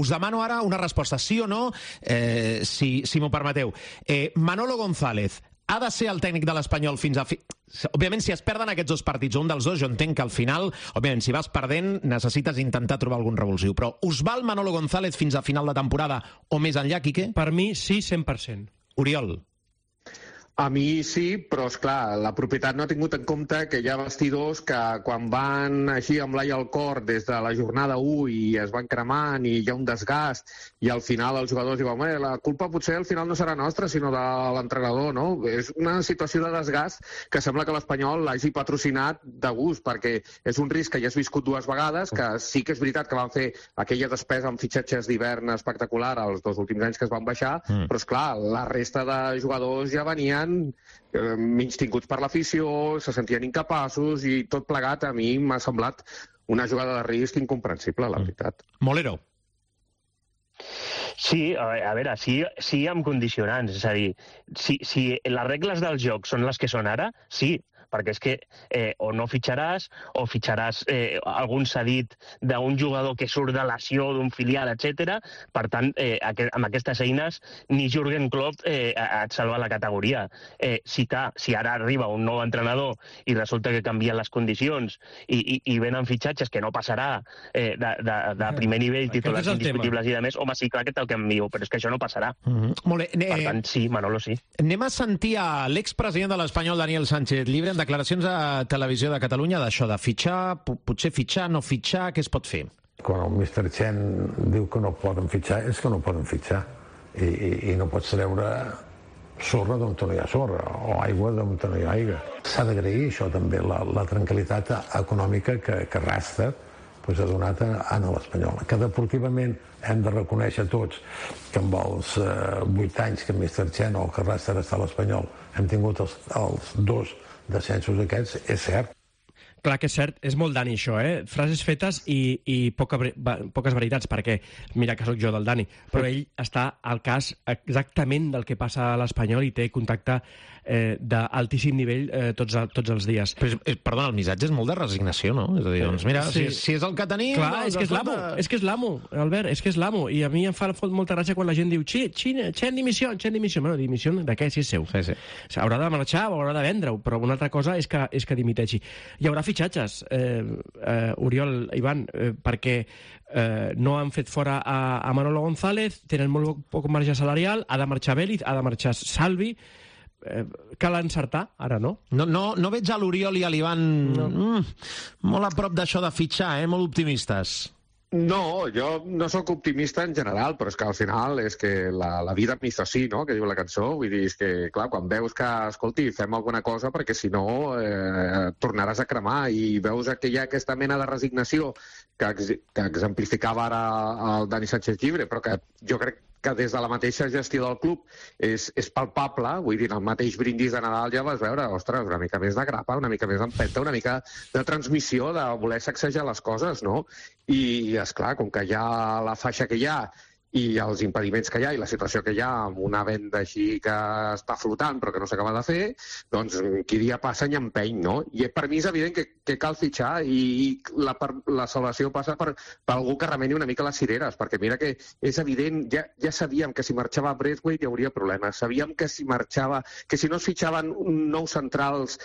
[SPEAKER 4] Us demano ara una resposta, sí o no, si m'ho permeteu. Manolo González ha de ser el tècnic de l'Espanyol fins a... Òbviament, si es perden aquests dos partits, un dels dos, jo entenc que al final, òbviament, si vas perdent, necessites intentar trobar algun revulsiu. Però us val Manolo González fins a final de temporada o més enllà, Quique?
[SPEAKER 14] Per mi, sí, 100%.
[SPEAKER 4] Oriol?
[SPEAKER 17] A mi sí, però, esclar, la propietat no ha tingut en compte que hi ha vestidors que quan van així amb l'ai al cor des de la jornada 1 i es van cremant i hi ha un desgast i al final els jugadors diuen la culpa potser al final no serà nostra sinó de l'entrenador, no? És una situació de desgast que sembla que l'Espanyol l'hagi patrocinat de gust, perquè és un risc que ja has viscut dues vegades, que sí que és veritat que van fer aquella despesa amb fitxatges d'hivern espectacular els dos últims anys que es van baixar, però, esclar, la resta de jugadors ja venien menys tinguts per l'afició, se sentien incapaços i tot plegat a mi m'ha semblat una jugada de risc incomprensible, la veritat.
[SPEAKER 4] Molero.
[SPEAKER 18] Sí, a veure, sí amb condicionants, és a dir, si les regles del joc són les que són ara, sí, perquè és que o no fitxaràs, o fitxaràs algun cedit d'un jugador que surt de lesió, d'un filial, etc. Per tant, amb aquestes eines, ni Jürgen Klopp et salva la categoria. Si ara arriba un nou entrenador i resulta que canvien les condicions i venen fitxatges que no passarà de primer nivell, titulars indiscutibles i de més, home, sí, clar que té el que em diu, però és que això no passarà.
[SPEAKER 4] Molt bé.
[SPEAKER 18] Per tant, sí, Manolo, sí.
[SPEAKER 4] Anem a sentir a l'expresident de l'Espanyol, Daniel Sánchez Llibre, en declaracions a Televisió de Catalunya d'això de fitxar, potser fitxar, no fitxar, què es pot fer?
[SPEAKER 19] Quan el Mr. Chen diu que no poden fitxar, és que no poden fitxar. I no pots treure sorra d'on no hi ha sorra, o aigua d'on no hi ha aigua. S'ha d'agrair això també, la tranquil·litat econòmica que Rasta ha donat a l'Espanyol. Que deportivament hem de reconèixer tots que amb els 8 anys que Mr. Chen o que Rasta està a l'Espanyol hem tingut els dos descensos aquests, és cert.
[SPEAKER 14] Clar que és cert, és molt Dani això, frases fetes i poques veritats, perquè mira que sóc jo del Dani, però ell està al cas exactament del que passa a l'Espanyol i té contacte d'altíssim nivell tots els dies.
[SPEAKER 4] Perdona, el missatge és molt de resignació, no? És a dir, doncs mira, si és el que tenim...
[SPEAKER 14] Clar, és que és l'amo, Albert, és que és l'amo, i a mi em fa molta gràcia quan la gent diu Chen dimissió. Bueno, dimissió de què, si és seu? Haurà de marxar o haurà de vendre-ho, però una altra cosa és que dimiteixi. Hi haurà fitxatges, Oriol, Ivan, perquè no han fet fora a Manolo González, tenen molt poc marge salarial, ha de marxar Vélez, ha de marxar Salvi, cal encertar, ara no?
[SPEAKER 4] No veig a l'Oriol i a l'Ivan molt a prop d'això de fitxar, molt optimistes.
[SPEAKER 17] No, jo no sóc optimista en general, però és que al final és que la vida me hizo así, no?, que diu la cançó. Vull dir, és que, clar, quan veus que, escolti, fem alguna cosa perquè si no tornaràs a cremar i veus que hi ha aquesta mena de resignació que exemplificava ara el Dani Sánchez Llibre, però que jo crec que des de la mateixa gestió del club és palpable, vull dir, el mateix brindis de Nadal ja vas veure, ostres, una mica més de grapa, una mica més d'empenta, una mica de transmissió, de voler sacsejar les coses, no? I, esclar, com que hi ha la faixa que hi ha i els impediments que hi ha i la situació que hi ha amb una venda així que està flotant però que no s'acaba de fer, doncs qui dia passa ni empeny, no? I per mi és evident que cal fitxar i la salvació passa per algú que remeni una mica les cireres, perquè mira que és evident, ja sabíem que si marxava Braithwaite hi hauria problemes, sabíem que si marxava, que si no es fitxaven nous centrals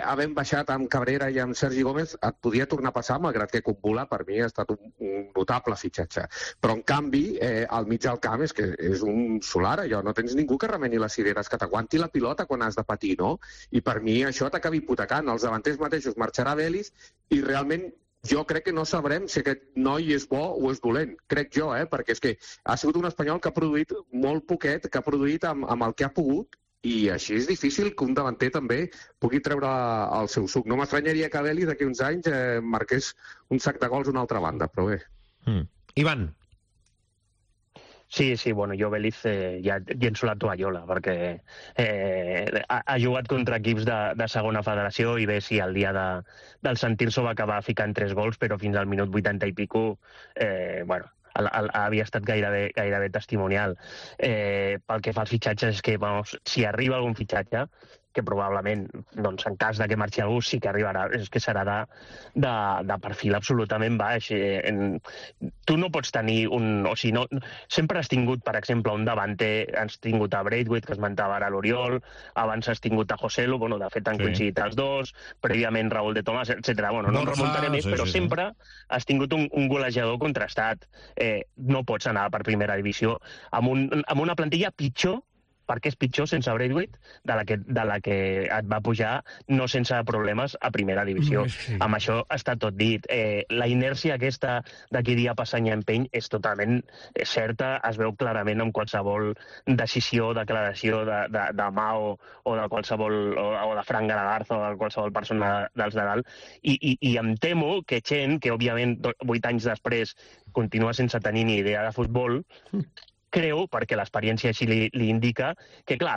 [SPEAKER 17] havent baixat amb Cabrera i amb Sergi Gómez et podia tornar a passar, malgrat que Kumbula per mi ha estat un notable fitxatge. Però en canvi al mig del camp és que és un solar, allò, no tens ningú que remeni les cireres, que t'aguanti la pilota quan has de patir, no? I per mi això t'acaba hipotecant. Els davanters mateixos marxarà Vélez i realment jo crec que no sabrem si aquest noi és bo o és dolent. Crec jo, perquè és que ha sigut un espanyol que ha produït molt poquet, que ha produït amb el que ha pogut, i així és difícil que un davanter també pugui treure el seu suc. No m'estranyaria que Vélez d'aquí uns anys marqués un sac de gols a una altra banda, però bé.
[SPEAKER 4] Ivan.
[SPEAKER 18] Sí, bueno, jo Vélez ja llenço la tovallola, perquè ha jugat contra equips de segona federació i bé, sí, el dia del sentir-se va acabar ficant 3 gols, però fins al minut 80 i pico, bueno, havia estat gairebé testimonial. Pel que fa als fitxatges, és que si arriba algun fitxatge, que probablement, doncs, en cas que marxi algú, sí que arribarà, és que serà de perfil absolutament baix. Tu no pots tenir sempre has tingut, per exemple, un davanter, has tingut a Braithwaite, que esmentava ara l'Oriol, abans has tingut a Joselu, de fet han coincidit els dos, prèviament Raúl de Tomàs, etc. No em remuntaré més, però sempre has tingut un golejador contrastat. No pots anar per primera divisió amb una plantilla pitjor, perquè és pitjor sense Braithwaite, de la que et va pujar no sense problemes a primera divisió. Amb això està tot dit. La inèrcia aquesta d'aquí dia passa any empeny és totalment certa, es veu clarament en qualsevol decisió, declaració de Mao o de qualsevol, o de Fran Garagarzo o de qualsevol persona dels de dalt, i em temo que gent que, òbviament, 8 anys després continua sense tenir ni idea de futbol, creu, perquè l'experiència així li indica, que clar,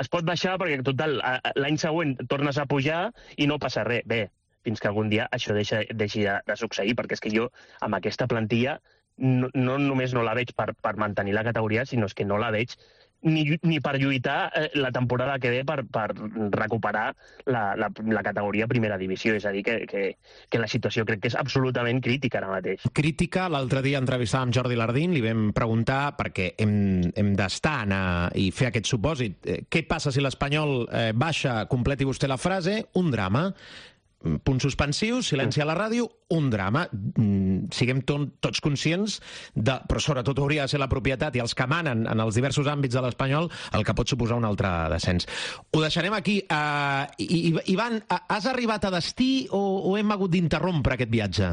[SPEAKER 18] es pot baixar perquè total l'any següent tornes a pujar i no passa res. Bé, fins que algun dia això deixi de succeir, perquè és que jo amb aquesta plantilla no només no la veig per mantenir la categoria, sinó que no la veig ni per lluitar la temporada que ve per recuperar la categoria primera divisió. És a dir, que la situació crec que és absolutament crítica ara mateix.
[SPEAKER 4] Crítica. L'altre dia entrevistàvem Jordi Lardín, li vam preguntar, perquè hem d'estar i fer aquest supòsit, què passa si l'Espanyol baixa, completi vostè la frase, un drama. Punts suspensius, silenci a la ràdio, un drama. Siguem tots conscients, però sobretot hauria de ser la propietat i els que manen en els diversos àmbits de l'Espanyol el que pot suposar un altre descens. Ho deixarem aquí. Ivan, has arribat a destí o hem hagut d'interrompre aquest viatge?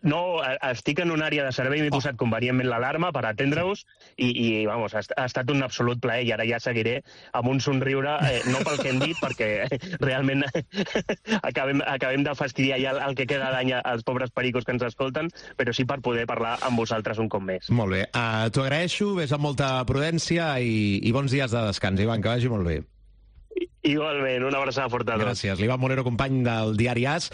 [SPEAKER 18] No, estic en una àrea de servei, m'he posat convenientment l'alarma per atendre-us i ha estat un absolut plaer, i ara ja seguiré amb un somriure, no pel que hem dit, perquè realment acabem de fastidiar ja el que queda d'any als pobres pericos que ens escolten, però sí per poder parlar amb vosaltres un cop més.
[SPEAKER 4] Molt bé, t'ho agraeixo, ves amb molta prudència i bons dies de descans, Ivan, que vagi molt bé.
[SPEAKER 18] Igualment, una abraçada forta a tots.
[SPEAKER 4] Gràcies. L'Ivan Molero, company del diari AS.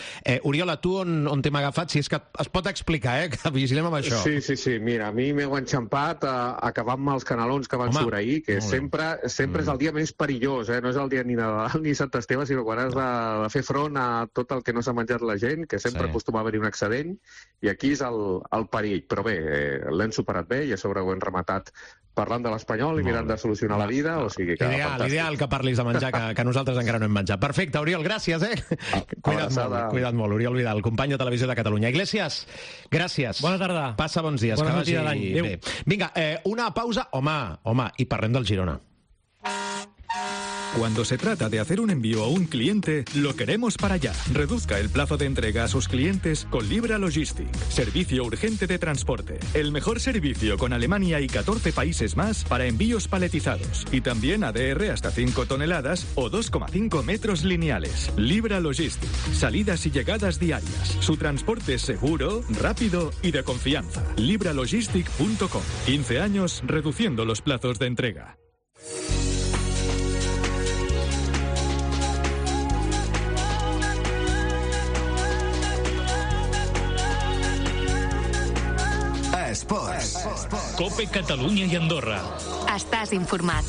[SPEAKER 4] Oriola, tu on t'hem agafat? Si és que es pot explicar, que vigilem amb això.
[SPEAKER 17] Sí. Mira, a mi m'heu enxampat acabant amb els canelons que van sobreahir, que sempre és el dia més perillós, no és el dia ni Nadal ni Sant Esteve, sinó quan has de fer front a tot el que no s'ha menjat la gent, que sempre acostuma a haver-hi un excedent, i aquí és el perill. Però bé, l'hem superat bé i a sobre ho hem rematat parlant de l'Espanyol i mirant de solucionar la vida, o sigui que
[SPEAKER 4] Ideal que parlis de menjar, que nosaltres encara no hem menjat. Perfecte, Oriol, gràcies, Cuida't molt, Oriol Vidal, company de Televisió de Catalunya. Iglesias, gràcies.
[SPEAKER 14] Bona tarda.
[SPEAKER 4] Passa bons dies,
[SPEAKER 14] bona
[SPEAKER 4] que vagi bé. Vinga, una pausa, home, i parlem del Girona.
[SPEAKER 20] Cuando se trata de hacer un envío a un cliente, lo queremos para allá. Reduzca el plazo de entrega a sus clientes con Libra Logistic. Servicio urgente de transporte. El mejor servicio con Alemania y 14 países más para envíos paletizados. Y también ADR hasta 5 toneladas o 2,5 metros lineales. Libra Logistic. Salidas y llegadas diarias. Su transporte es seguro, rápido y de confianza. libralogistic.com. 15 años reduciendo los plazos de entrega.
[SPEAKER 2] Esports. Cope Catalunya i Andorra.
[SPEAKER 11] Estàs informat.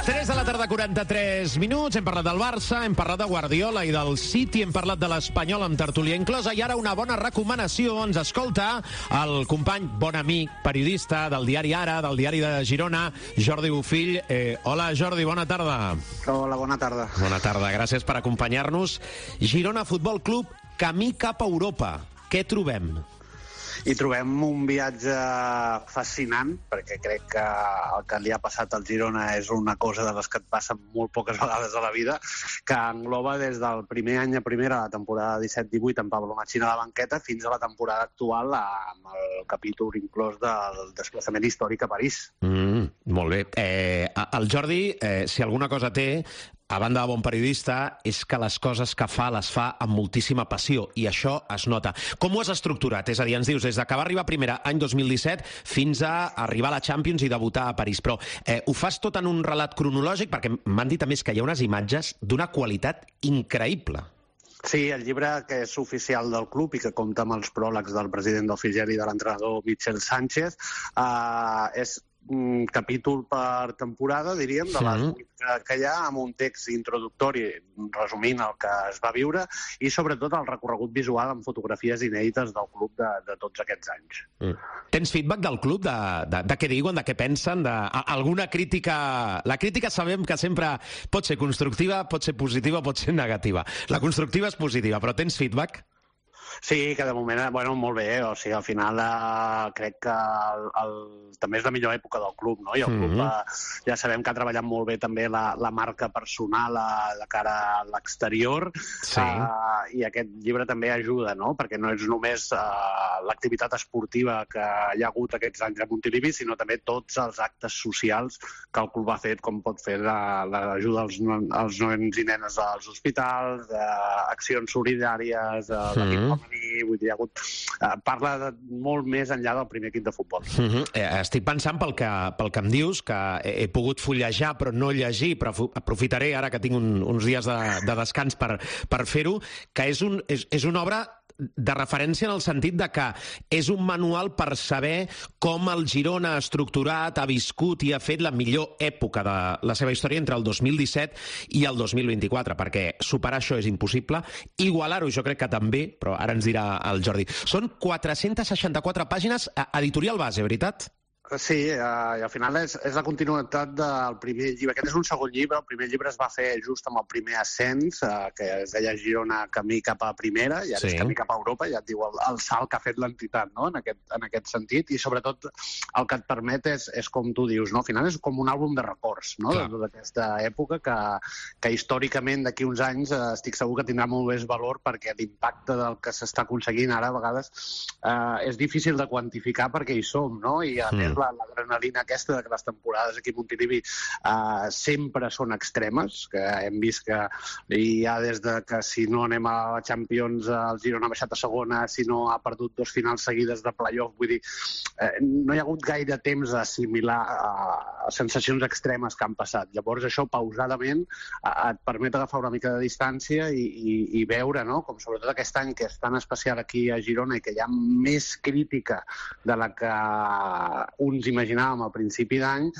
[SPEAKER 4] 3 de la tarda, 43 minuts. Hem parlat del Barça, hem parlat de Guardiola i del City, hem parlat de l'Espanyol amb tertúlia inclosa, i ara una bona recomanació. Ens escolta el company, bon amic, periodista del diari Ara, del diari de Girona, Jordi Bofill. Hola, Jordi, bona tarda.
[SPEAKER 21] Hola, bona tarda.
[SPEAKER 4] Bona tarda, gràcies per acompanyar-nos. Girona Futbol Club, camí cap a Europa. Què trobem?
[SPEAKER 21] I trobem un viatge fascinant, perquè crec que el que li ha passat al Girona és una cosa de les que et passen molt poques vegades a la vida, que engloba des del primer any a primera, la temporada 17-18, amb Pablo Machín a la banqueta, fins a la temporada actual, amb el capítol inclòs del desplaçament històric a París.
[SPEAKER 4] Molt bé. El Jordi, si alguna cosa té, a banda de bon periodista, és que les coses que fa les fa amb moltíssima passió, i això es nota. Com ho has estructurat? És a dir, ens dius, des que va arribar primera any 2017 fins a arribar a la Champions i debutar a París. Però ho fas tot en un relat cronològic? Perquè m'han dit a més que hi ha unes imatges d'una qualitat increïble.
[SPEAKER 21] Sí, el llibre que és oficial del club i que compta amb els pròlegs del president del Figuer i de l'entrenador Michel Sánchez és capítol per temporada, diríem, de les 8 que hi ha, amb un text introductori resumint el que es va viure i sobretot el recorregut visual amb fotografies inèdites del club de tots aquests anys.
[SPEAKER 4] Tens feedback del club de què diuen, de què pensen, d'alguna crítica? La crítica sabem que sempre pot ser constructiva, pot ser positiva, pot ser negativa. La constructiva és positiva, però tens feedback?
[SPEAKER 21] Sí, que de moment, molt bé, o sigui, al final crec que també és la millor època del club, no? I el club ja sabem que ha treballat molt bé també la marca personal de cara a l'exterior, i aquest llibre també ajuda, no? Perquè no és només l'activitat esportiva que hi ha hagut aquests anys a Montilivi, sinó també tots els actes socials que el club ha fet, com pot fer l'ajuda als nens i nenes als hospitals, accions solidàries, l'equip vull dir, parla molt més enllà del primer equip de futbol.
[SPEAKER 4] Estic pensant pel que em dius, que he pogut fullejar però no llegir, però aprofitaré ara que tinc uns dies de descans per fer-ho, que és una obra de referència en el sentit de que és un manual per saber com el Girona ha estructurat, ha viscut i ha fet la millor època de la seva història entre el 2017 i el 2024, perquè superar això és impossible. Igualar-ho jo crec que també, però ara ens dirà el Jordi. Són 464 pàgines, editorial base, veritat?
[SPEAKER 21] Sí, i al final és la continuïtat del primer llibre. Aquest és un segon llibre. El primer llibre es va fer just amb el primer ascens, que es deia Girona camí cap a primera, i ara és camí cap a Europa, ja et diu el salt que ha fet l'entitat, no? En aquest sentit, i sobretot el que et permet és com tu dius, no? Al final és com un àlbum de records, no? De tota aquesta època que històricament d'aquí uns anys estic segur que tindrà molt més valor, perquè l'impacte del que s'està aconseguint ara a vegades és difícil de quantificar perquè hi som, no? I a més l'adrenalina aquesta de que les temporades aquí a Montilivi sempre són extremes, que hem vist que hi ha des de que si no anem a la Champions el Girona ha baixat a segona, si no ha perdut 2 finals seguides de playoff, vull dir, no hi ha hagut gaire temps d'assimilar sensacions extremes que han passat. Llavors això pausadament et permet agafar una mica de distància i veure, no?, com sobretot aquest any que és tan especial aquí a Girona i que hi ha més crítica de la que uns imaginàvem al principi d'any,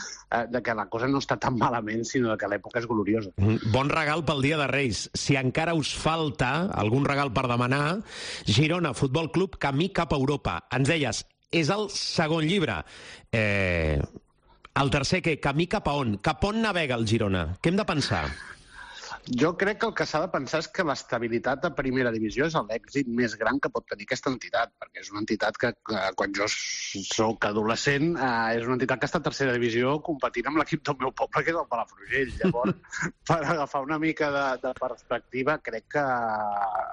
[SPEAKER 21] de que la cosa no està tan malament, sinó que l'època és gloriosa.
[SPEAKER 4] Bon regal pel Dia de Reis. Si encara us falta algun regal per demanar, Girona Futbol Club, camí cap a Europa. Ens deies, és el segon llibre. El tercer, què? Camí cap a on? Cap on navega el Girona? Què hem de pensar?
[SPEAKER 21] Jo crec que el que s'ha de pensar és que l'estabilitat a primera divisió és l'èxit més gran que pot tenir aquesta entitat, perquè és una entitat que quan jo soc adolescent és una entitat que està a tercera divisió competint amb l'equip del meu poble, que és el Palafrugell. Llavors, per agafar una mica de perspectiva, crec que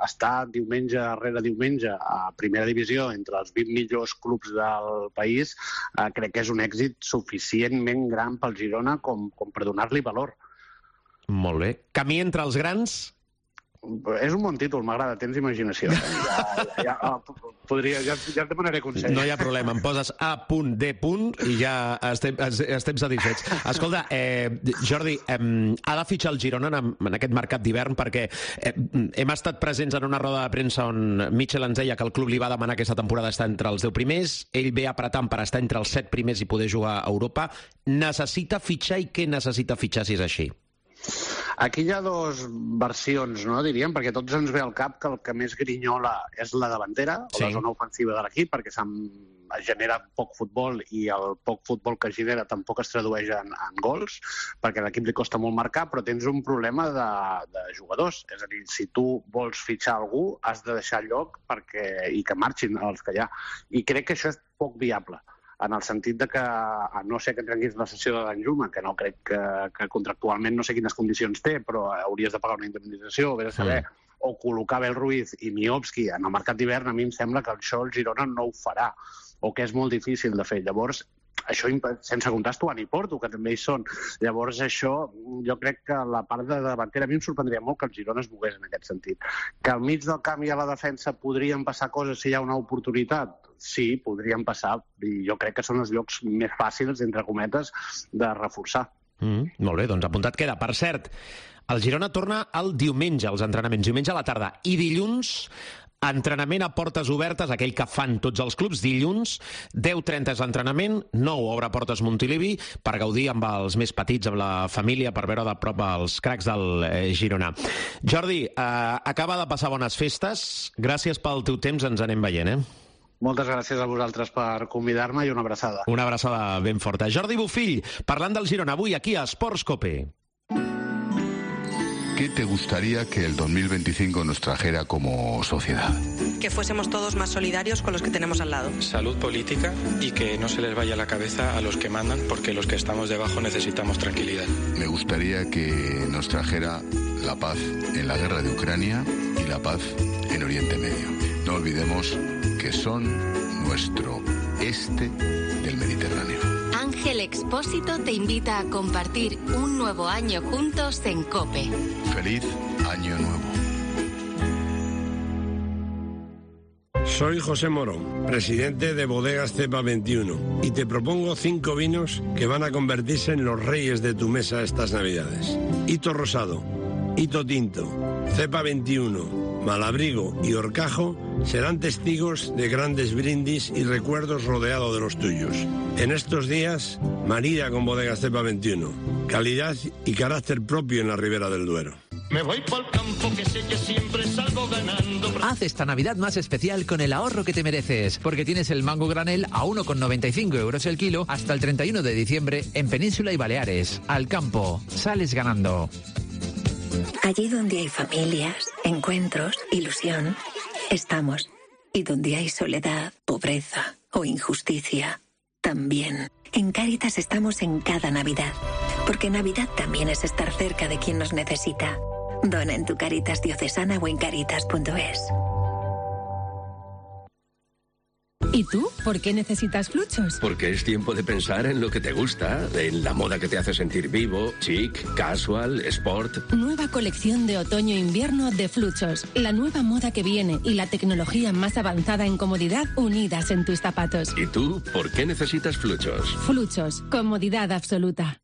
[SPEAKER 21] està diumenge rere diumenge a primera divisió entre els 20 millors clubs del país, crec que és un èxit suficientment gran pel Girona com per donar-li valor.
[SPEAKER 4] Molt bé. Camí entre els grans?
[SPEAKER 21] És un bon títol, m'agrada, tens imaginació. Ja et demanaré consell.
[SPEAKER 4] No hi ha problema, em poses A.D. i ja estem satisfets. Escolta, Jordi, ha de fitxar el Girona en aquest mercat d'hivern, perquè hem estat presents en una roda de premsa on Michel ens deia que el club li va demanar aquesta temporada estar entre els 10 primers, ell ve apretant per estar entre els 7 primers i poder jugar a Europa. Necessita fitxar i què necessita fitxar si és així?
[SPEAKER 21] Aquí hi ha 2 versions, no, diríem, perquè tots ens ve al cap que el que més grinyola és la davantera, o la zona ofensiva de l'equip, perquè es genera poc futbol i el poc futbol que genera tampoc es tradueix en gols, perquè a l'equip li costa molt marcar, però tens un problema de jugadors. És a dir, si tu vols fitxar algú, has de deixar lloc i que marxin els que hi ha. I crec que això és poc viable, en el sentit de que, a no ser que trenquis la sessió de Danjuma, que no crec que contractualment no sé quines condicions té, però hauries de pagar una indemnització, vés a saber, o col·locar Abel Ruiz i Miovski en el mercat d'hivern, a mi em sembla que això el Girona no ho farà, o que és molt difícil de fer. Llavors, això sense comptar Estuan i Porto, que també hi són. Llavors, això, jo crec que la part de davantera, a mi em sorprendria molt que el Girona es mogués en aquest sentit. Que al mig del camp i a la defensa podrien passar coses si hi ha una oportunitat? Sí, podrien passar, i jo crec que són els llocs més fàcils, entre cometes, de reforçar.
[SPEAKER 4] Molt bé, doncs apuntat queda. Per cert, El Girona torna el diumenge als entrenaments, diumenge a la tarda, i dilluns entrenament a portes obertes, aquell que fan tots els clubs. Dilluns, 10:30 és l'entrenament, 9 obre portes Montilivi per gaudir amb els més petits, amb la família, per veure de prop els cracs del Girona. Jordi, acaba de passar bones festes. Gràcies pel teu temps, ens anem veient,
[SPEAKER 21] Moltes gràcies a vosaltres per convidar-me i una abraçada.
[SPEAKER 4] Una abraçada ben forta. Jordi Bofill, parlant del Girona, avui aquí a Esports Cope.
[SPEAKER 1] ¿Qué te gustaría que el 2025 nos trajera como sociedad?
[SPEAKER 22] Que fuésemos todos más solidarios con los que tenemos al lado.
[SPEAKER 23] Salud política y que no se les vaya la cabeza a los que mandan, porque los que estamos debajo necesitamos tranquilidad.
[SPEAKER 1] Me gustaría que nos trajera la paz en la guerra de Ucrania y la paz en Oriente Medio. No olvidemos que son nuestro este del Mediterráneo.
[SPEAKER 24] Ángel Expósito te invita a compartir un nuevo año juntos en COPE.
[SPEAKER 1] ¡Feliz Año Nuevo!
[SPEAKER 25] Soy José Morón, presidente de Bodegas Cepa 21, y te propongo 5 vinos que van a convertirse en los reyes de tu mesa estas Navidades. Hito Rosado, Hito Tinto, Cepa 21, Malabrigo y Horcajo serán testigos de grandes brindis y recuerdos rodeado de los tuyos. En estos días, marida con Bodegas Cepa 21, calidad y carácter propio en la Ribera del Duero.
[SPEAKER 26] Me voy pa'l campo que sé que siempre salgo ganando.
[SPEAKER 12] Haz esta Navidad más especial con el ahorro que te mereces, porque tienes el mango granel a 1,95 euros el kilo hasta el 31 de diciembre en Península y Baleares. Al campo, sales ganando.
[SPEAKER 27] Allí donde hay familias, encuentros, ilusión, estamos. Y donde hay soledad, pobreza o injusticia, también. En Cáritas estamos en cada Navidad, porque Navidad también es estar cerca de quien nos necesita. Dona en tu Cáritas diocesana o en cáritas.es.
[SPEAKER 28] ¿Y tú? ¿Por qué necesitas Fluchos?
[SPEAKER 29] Porque es tiempo de pensar en lo que te gusta, en la moda que te hace sentir vivo, chic, casual, sport.
[SPEAKER 28] Nueva colección de otoño-invierno de Fluchos. La nueva moda que viene y la tecnología más avanzada en comodidad unidas en tus zapatos.
[SPEAKER 29] ¿Y tú? ¿Por qué necesitas Fluchos?
[SPEAKER 28] Fluchos. Comodidad absoluta.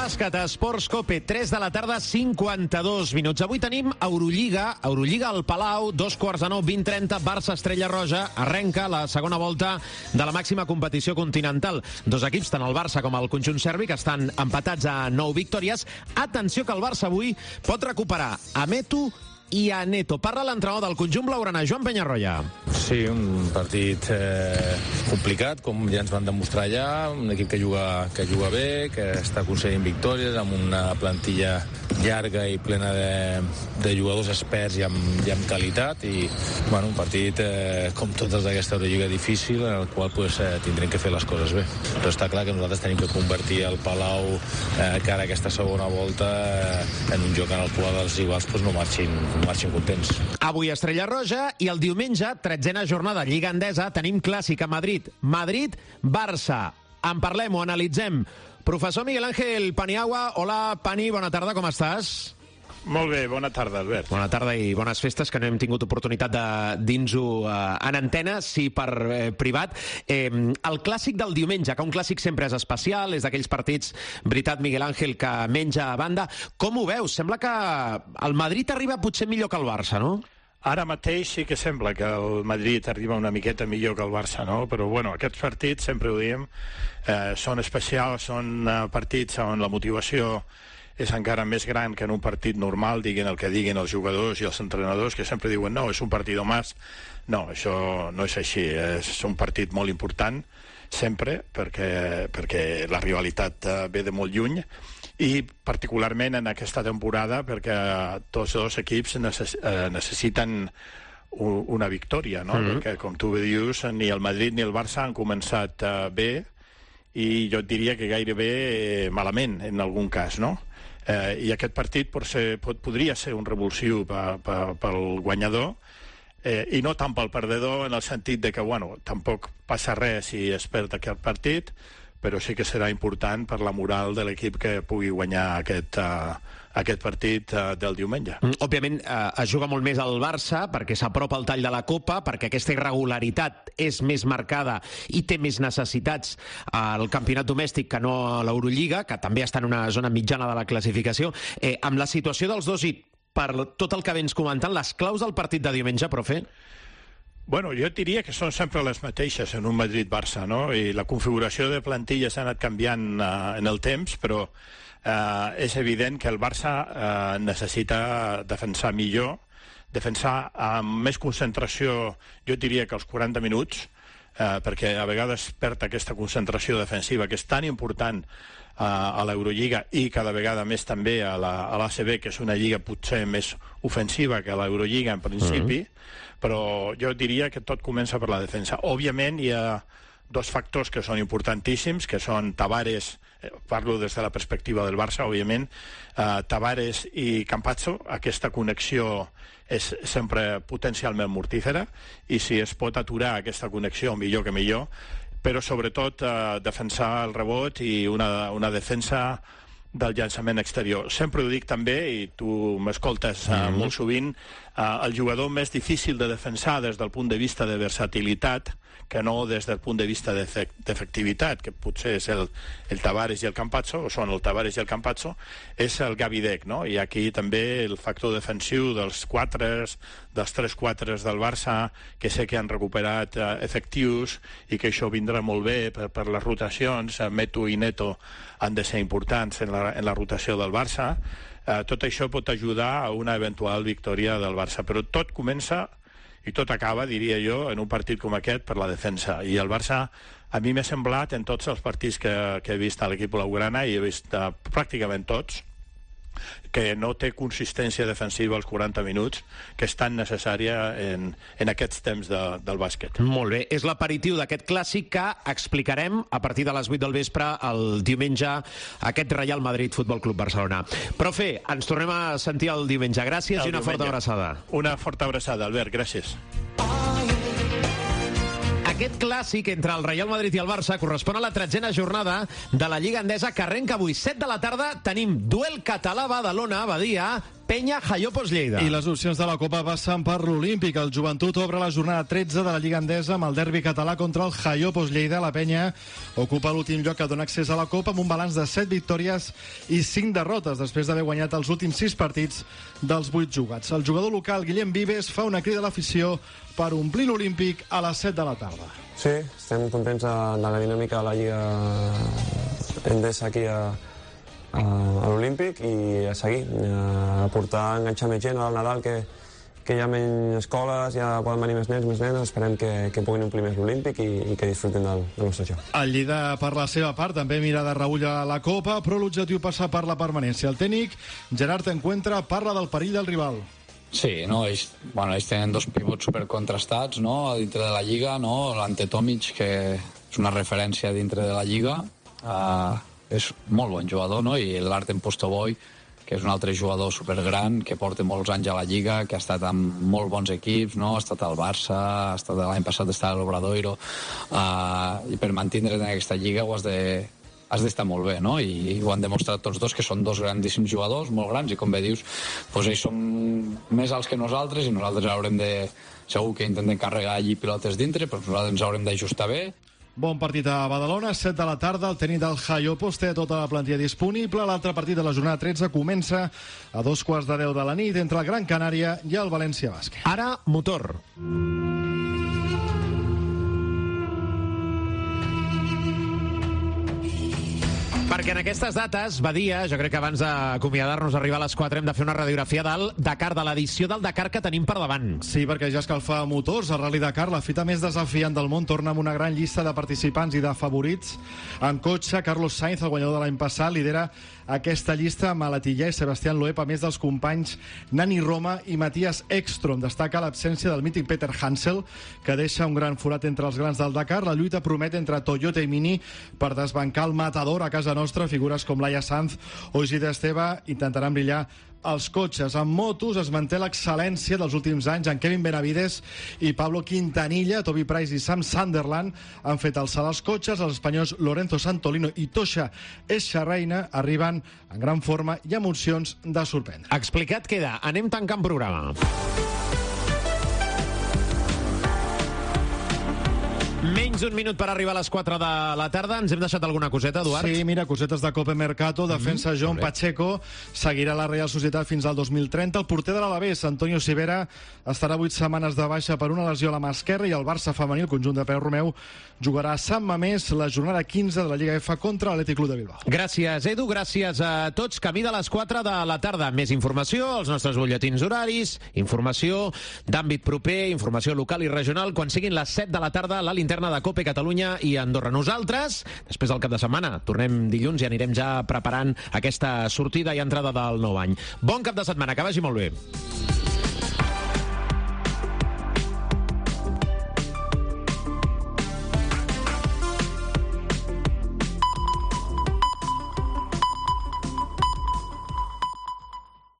[SPEAKER 4] Bàsquet, Esports Cope, 3 de la tarda, 52 minuts. Avui tenim Eurolliga al Palau, 2:15, 20:30, Barça Estrella Roja. Arrenca la segona volta de la màxima competició continental. Dos equips, tant el Barça com el conjunt serbi, que estan empatats a 9 victòries. Atenció que el Barça avui pot recuperar a Metu i a Neto. Parla l'entrenador del conjunt blaugrana, Joan Peñarroya.
[SPEAKER 30] Sí, un partit complicat, com ja ens van demostrar allà, un equip que juga bé, que està aconseguint victòries, amb una plantilla llarga i plena de jugadors experts i amb qualitat, i bueno, un partit com tots els d'aquesta Eurolliga difícil, en el qual tindrem que fer les coses bé. Però està clar que nosaltres tenim que convertir el Palau cara a aquesta segona volta en un joc en el qual els rivals no marxin contents.
[SPEAKER 4] Avui Estrella Roja i el diumenge, 13a jornada Lliga Endesa, tenim clàssic a Madrid. Madrid-Barça. En parlem, ho analitzem. Professor Miguel Ángel Paniagua. Hola, Pani, bona tarda, com estàs?
[SPEAKER 31] Molt bé, bona tarda, Albert.
[SPEAKER 4] Bona tarda i bones festes, que no hem tingut oportunitat de dir-nos-ho en antena, sí per privat. El clàssic del diumenge, que un clàssic sempre és especial, és d'aquells partits, veritat, Miguel Ángel, que menja a banda. Com ho veus? Sembla que el Madrid arriba potser millor que el Barça, no?
[SPEAKER 31] Ara mateix sí que sembla que el Madrid arriba una miqueta millor que el Barça, no? Però bueno, aquests partits, sempre ho diem, són especials, són partits on la motivació és encara més gran que en un partit normal, diguin el que diguin els jugadors i els entrenadors, que sempre diuen no, és un partido más. No, això no és així, és un partit molt important, sempre, perquè la rivalitat ve de molt lluny, i particularment en aquesta temporada perquè tots dos equips necessiten una victòria, no? Perquè, com tu bé dius, ni el Madrid ni el Barça han començat bé, i jo et diria que gairebé malament, en algun cas, no? I aquest partit podria ser un revulsiu pel guanyador, i no tant pel perdedor, en el sentit de que, bueno, tampoc passa res si es perd aquest partit, però sí que serà important per la moral de l'equip que pugui guanyar aquest partit del diumenge.
[SPEAKER 4] Òbviament, es juga molt més al Barça perquè s'apropa el tall de la Copa, perquè aquesta irregularitat és més marcada i té més necessitats al campionat domèstic que no a l'Eurolliga, que també està en una zona mitjana de la classificació. Amb la situació dels dos i per tot el que vens comentant, les claus del partit de diumenge, profe?
[SPEAKER 31] Bueno, jo diria que són sempre les mateixes en un Madrid-Barça, no? I la configuració de plantilla s'ha anat canviant en el temps, però és evident que el Barça necessita defensar millor, defensar amb més concentració, jo diria que als 40 minuts, perquè a vegades perd aquesta concentració defensiva que és tan important a l'Eurolliga i cada vegada més també a l'ACB, que és una lliga potser més ofensiva que a l'Eurolliga en principi, però jo diria que tot comença per la defensa. Òbviament hi ha dos factors que són importantíssims, que són Tavares, parlo des de la perspectiva del Barça, òbviament, Tavares i Campazzo. Aquesta connexió és sempre potencialment mortífera, i si es pot aturar aquesta connexió, millor que millor, però sobretot defensar el rebot i una defensa del llançament exterior. Sempre ho dic també, i tu m'escoltes molt sovint, el jugador més difícil de defensar des del punt de vista de versatilitat que no des del punt de vista d'efectivitat, que potser és el Tavares i el Campazzo, o són el Tavares i el Campazzo, és el Gavi Deck, no? I aquí també el factor defensiu dels 3-4 del Barça, que sé que han recuperat efectius i que això vindrà molt bé per les rotacions. Meto i Neto han de ser importants en la rotació del Barça. Tot això pot ajudar a una eventual victòria del Barça, però tot comença i tot acaba, diria jo, en un partit com aquest per la defensa. I el Barça, a mi m'ha semblat, en tots els partits que he vist a l'equip blaugrana, i he vist pràcticament tots, que no té consistència defensiva als 40 minuts, que és tan necessària en aquests temps del bàsquet.
[SPEAKER 4] Molt bé, és l'aperitiu d'aquest clàssic que explicarem a partir de les 8 del vespre el diumenge, aquest Real Madrid Futbol Club Barcelona. Profe, ens tornem a sentir el diumenge. Gràcies i una forta abraçada.
[SPEAKER 31] Una forta abraçada, Albert, gràcies.
[SPEAKER 4] Aquest clàssic entre el Real Madrid i el Barça correspon a la 13a jornada de la Lliga Endesa, que arrenca avui 7 de la tarda. Tenim duel català Badalona, Badia, Penya, Jaiopos, Lleida.
[SPEAKER 3] I les opcions de la Copa passen per l'Olímpic. El Joventut obre la jornada 13 de la Lliga Endesa amb el derbi català contra el Jaiopos, Lleida. La Penya ocupa l'últim lloc que dona accés a la Copa amb un balanç de 7 victòries i 5 derrotes després d'haver guanyat els últims 6 partits dels 8 jugats. El jugador local, Guillem Vives, fa una crida a l'afició per omplir l'Olímpic a les 7 de la tarda.
[SPEAKER 5] Sí, estem contents de la dinàmica de la Lliga Endesa aquí a l'Olímpic i a seguir, a portar, a enganxar més gent al Nadal, que hi ha menys escoles, ja poden venir més nens, més nenes. Esperem que puguin omplir més l'Olímpic i que disfrutin del nostre joc.
[SPEAKER 3] El Lleida, per la seva part, també mira de reüll a la Copa, però l'objectiu passa per la permanència. El tècnic, Gerard Encuentra, parla del perill del rival.
[SPEAKER 6] Sí, no, ells tenen dos pivots supercontrastats, no?, dintre de la Lliga, no?, l'Ante Tomic, que és una referència dintre de la Lliga, és molt bon jugador, no?, i l'Artem Postoboi, que és un altre jugador supergran, que porta molts anys a la Lliga, que ha estat amb molt bons equips, no?, ha estat al Barça, l'any passat està a l'Obradoiro, i per mantindre's en aquesta Lliga has d'estar molt bé, no? I ho han demostrat tots dos, que són dos grandíssims jugadors, molt grans, i com bé dius, doncs ells són més alts que nosaltres, i nosaltres haurem de... Segur que intenten carregar allí pilotes dintre, però nosaltres ens haurem d'ajustar bé.
[SPEAKER 3] Bon partit a Badalona, 7 de la tarda, el tècnic del Jaiopos té tota la plantilla disponible. L'altre partit de la jornada 13 comença a 2:15 de la nit entre el Gran Canària i el València Bàsquet.
[SPEAKER 4] Ara, motor. Perquè en aquestes dates, Badia, jo crec que abans d'acomiadar-nos a arribar a les 4 hem de fer una radiografia del Dakar, de l'edició del Dakar que tenim per davant.
[SPEAKER 3] Sí, perquè ja escalfa motors. El Rally Dakar, la fita més desafiant del món, torna amb una gran llista de participants i de favorits. En cotxe, Carlos Sainz, el guanyador de l'any passat, lidera aquesta llista amb Alatilla i Sebastián Loeb, a més dels companys Nani Roma i Matías Ekstrom. Destaca l'absència del mític Peter Hansel, que deixa un gran forat entre els grans del Dakar. La lluita promet entre Toyota i Mini per desbancar el matador a casa nostra. Figures com Laia Sanz o Isidre Esteve intentaran brillar els cotxes. En motos es manté l'excel·lència dels últims anys. En Kevin Benavides i Pablo Quintanilla, Toby Price i Sam Sunderland han fet el salt als cotxes. Els espanyols Lorenzo Santolino i Tosha Eschereina arriben en gran forma i amb opcions de sorprendre.
[SPEAKER 4] Explicat queda. Anem tancant programa. Menys d'un minut per arribar a les 4 de la tarda. Ens hem deixat alguna coseta, Eduard?
[SPEAKER 3] Sí, mira, cosetes de Cope Mercato. Defensa John Pacheco seguirà la Real Societat fins al 2030. El porter de l'Alavés, Antonio Sivera, estarà 8 setmanes de baixa per una lesió a la mà esquerra, i el Barça femení, el conjunt de Pere Romeu, jugarà a Sant Mamés la jornada 15 de la Lliga F contra l'Atlètic Club de Bilbao.
[SPEAKER 4] Gràcies, Edu. Gràcies a tots. Camí de les 4 de la tarda. Més informació, els nostres butlletins horaris, informació d'àmbit proper, informació local i regional. Quan siguin les 7 de la tarda, la linterna de Cope Catalunya i Andorra. Nosaltres, després del cap de setmana, tornem dilluns i anirem ja preparant aquesta sortida i entrada del nou any. Bon cap de setmana, que vagi molt bé.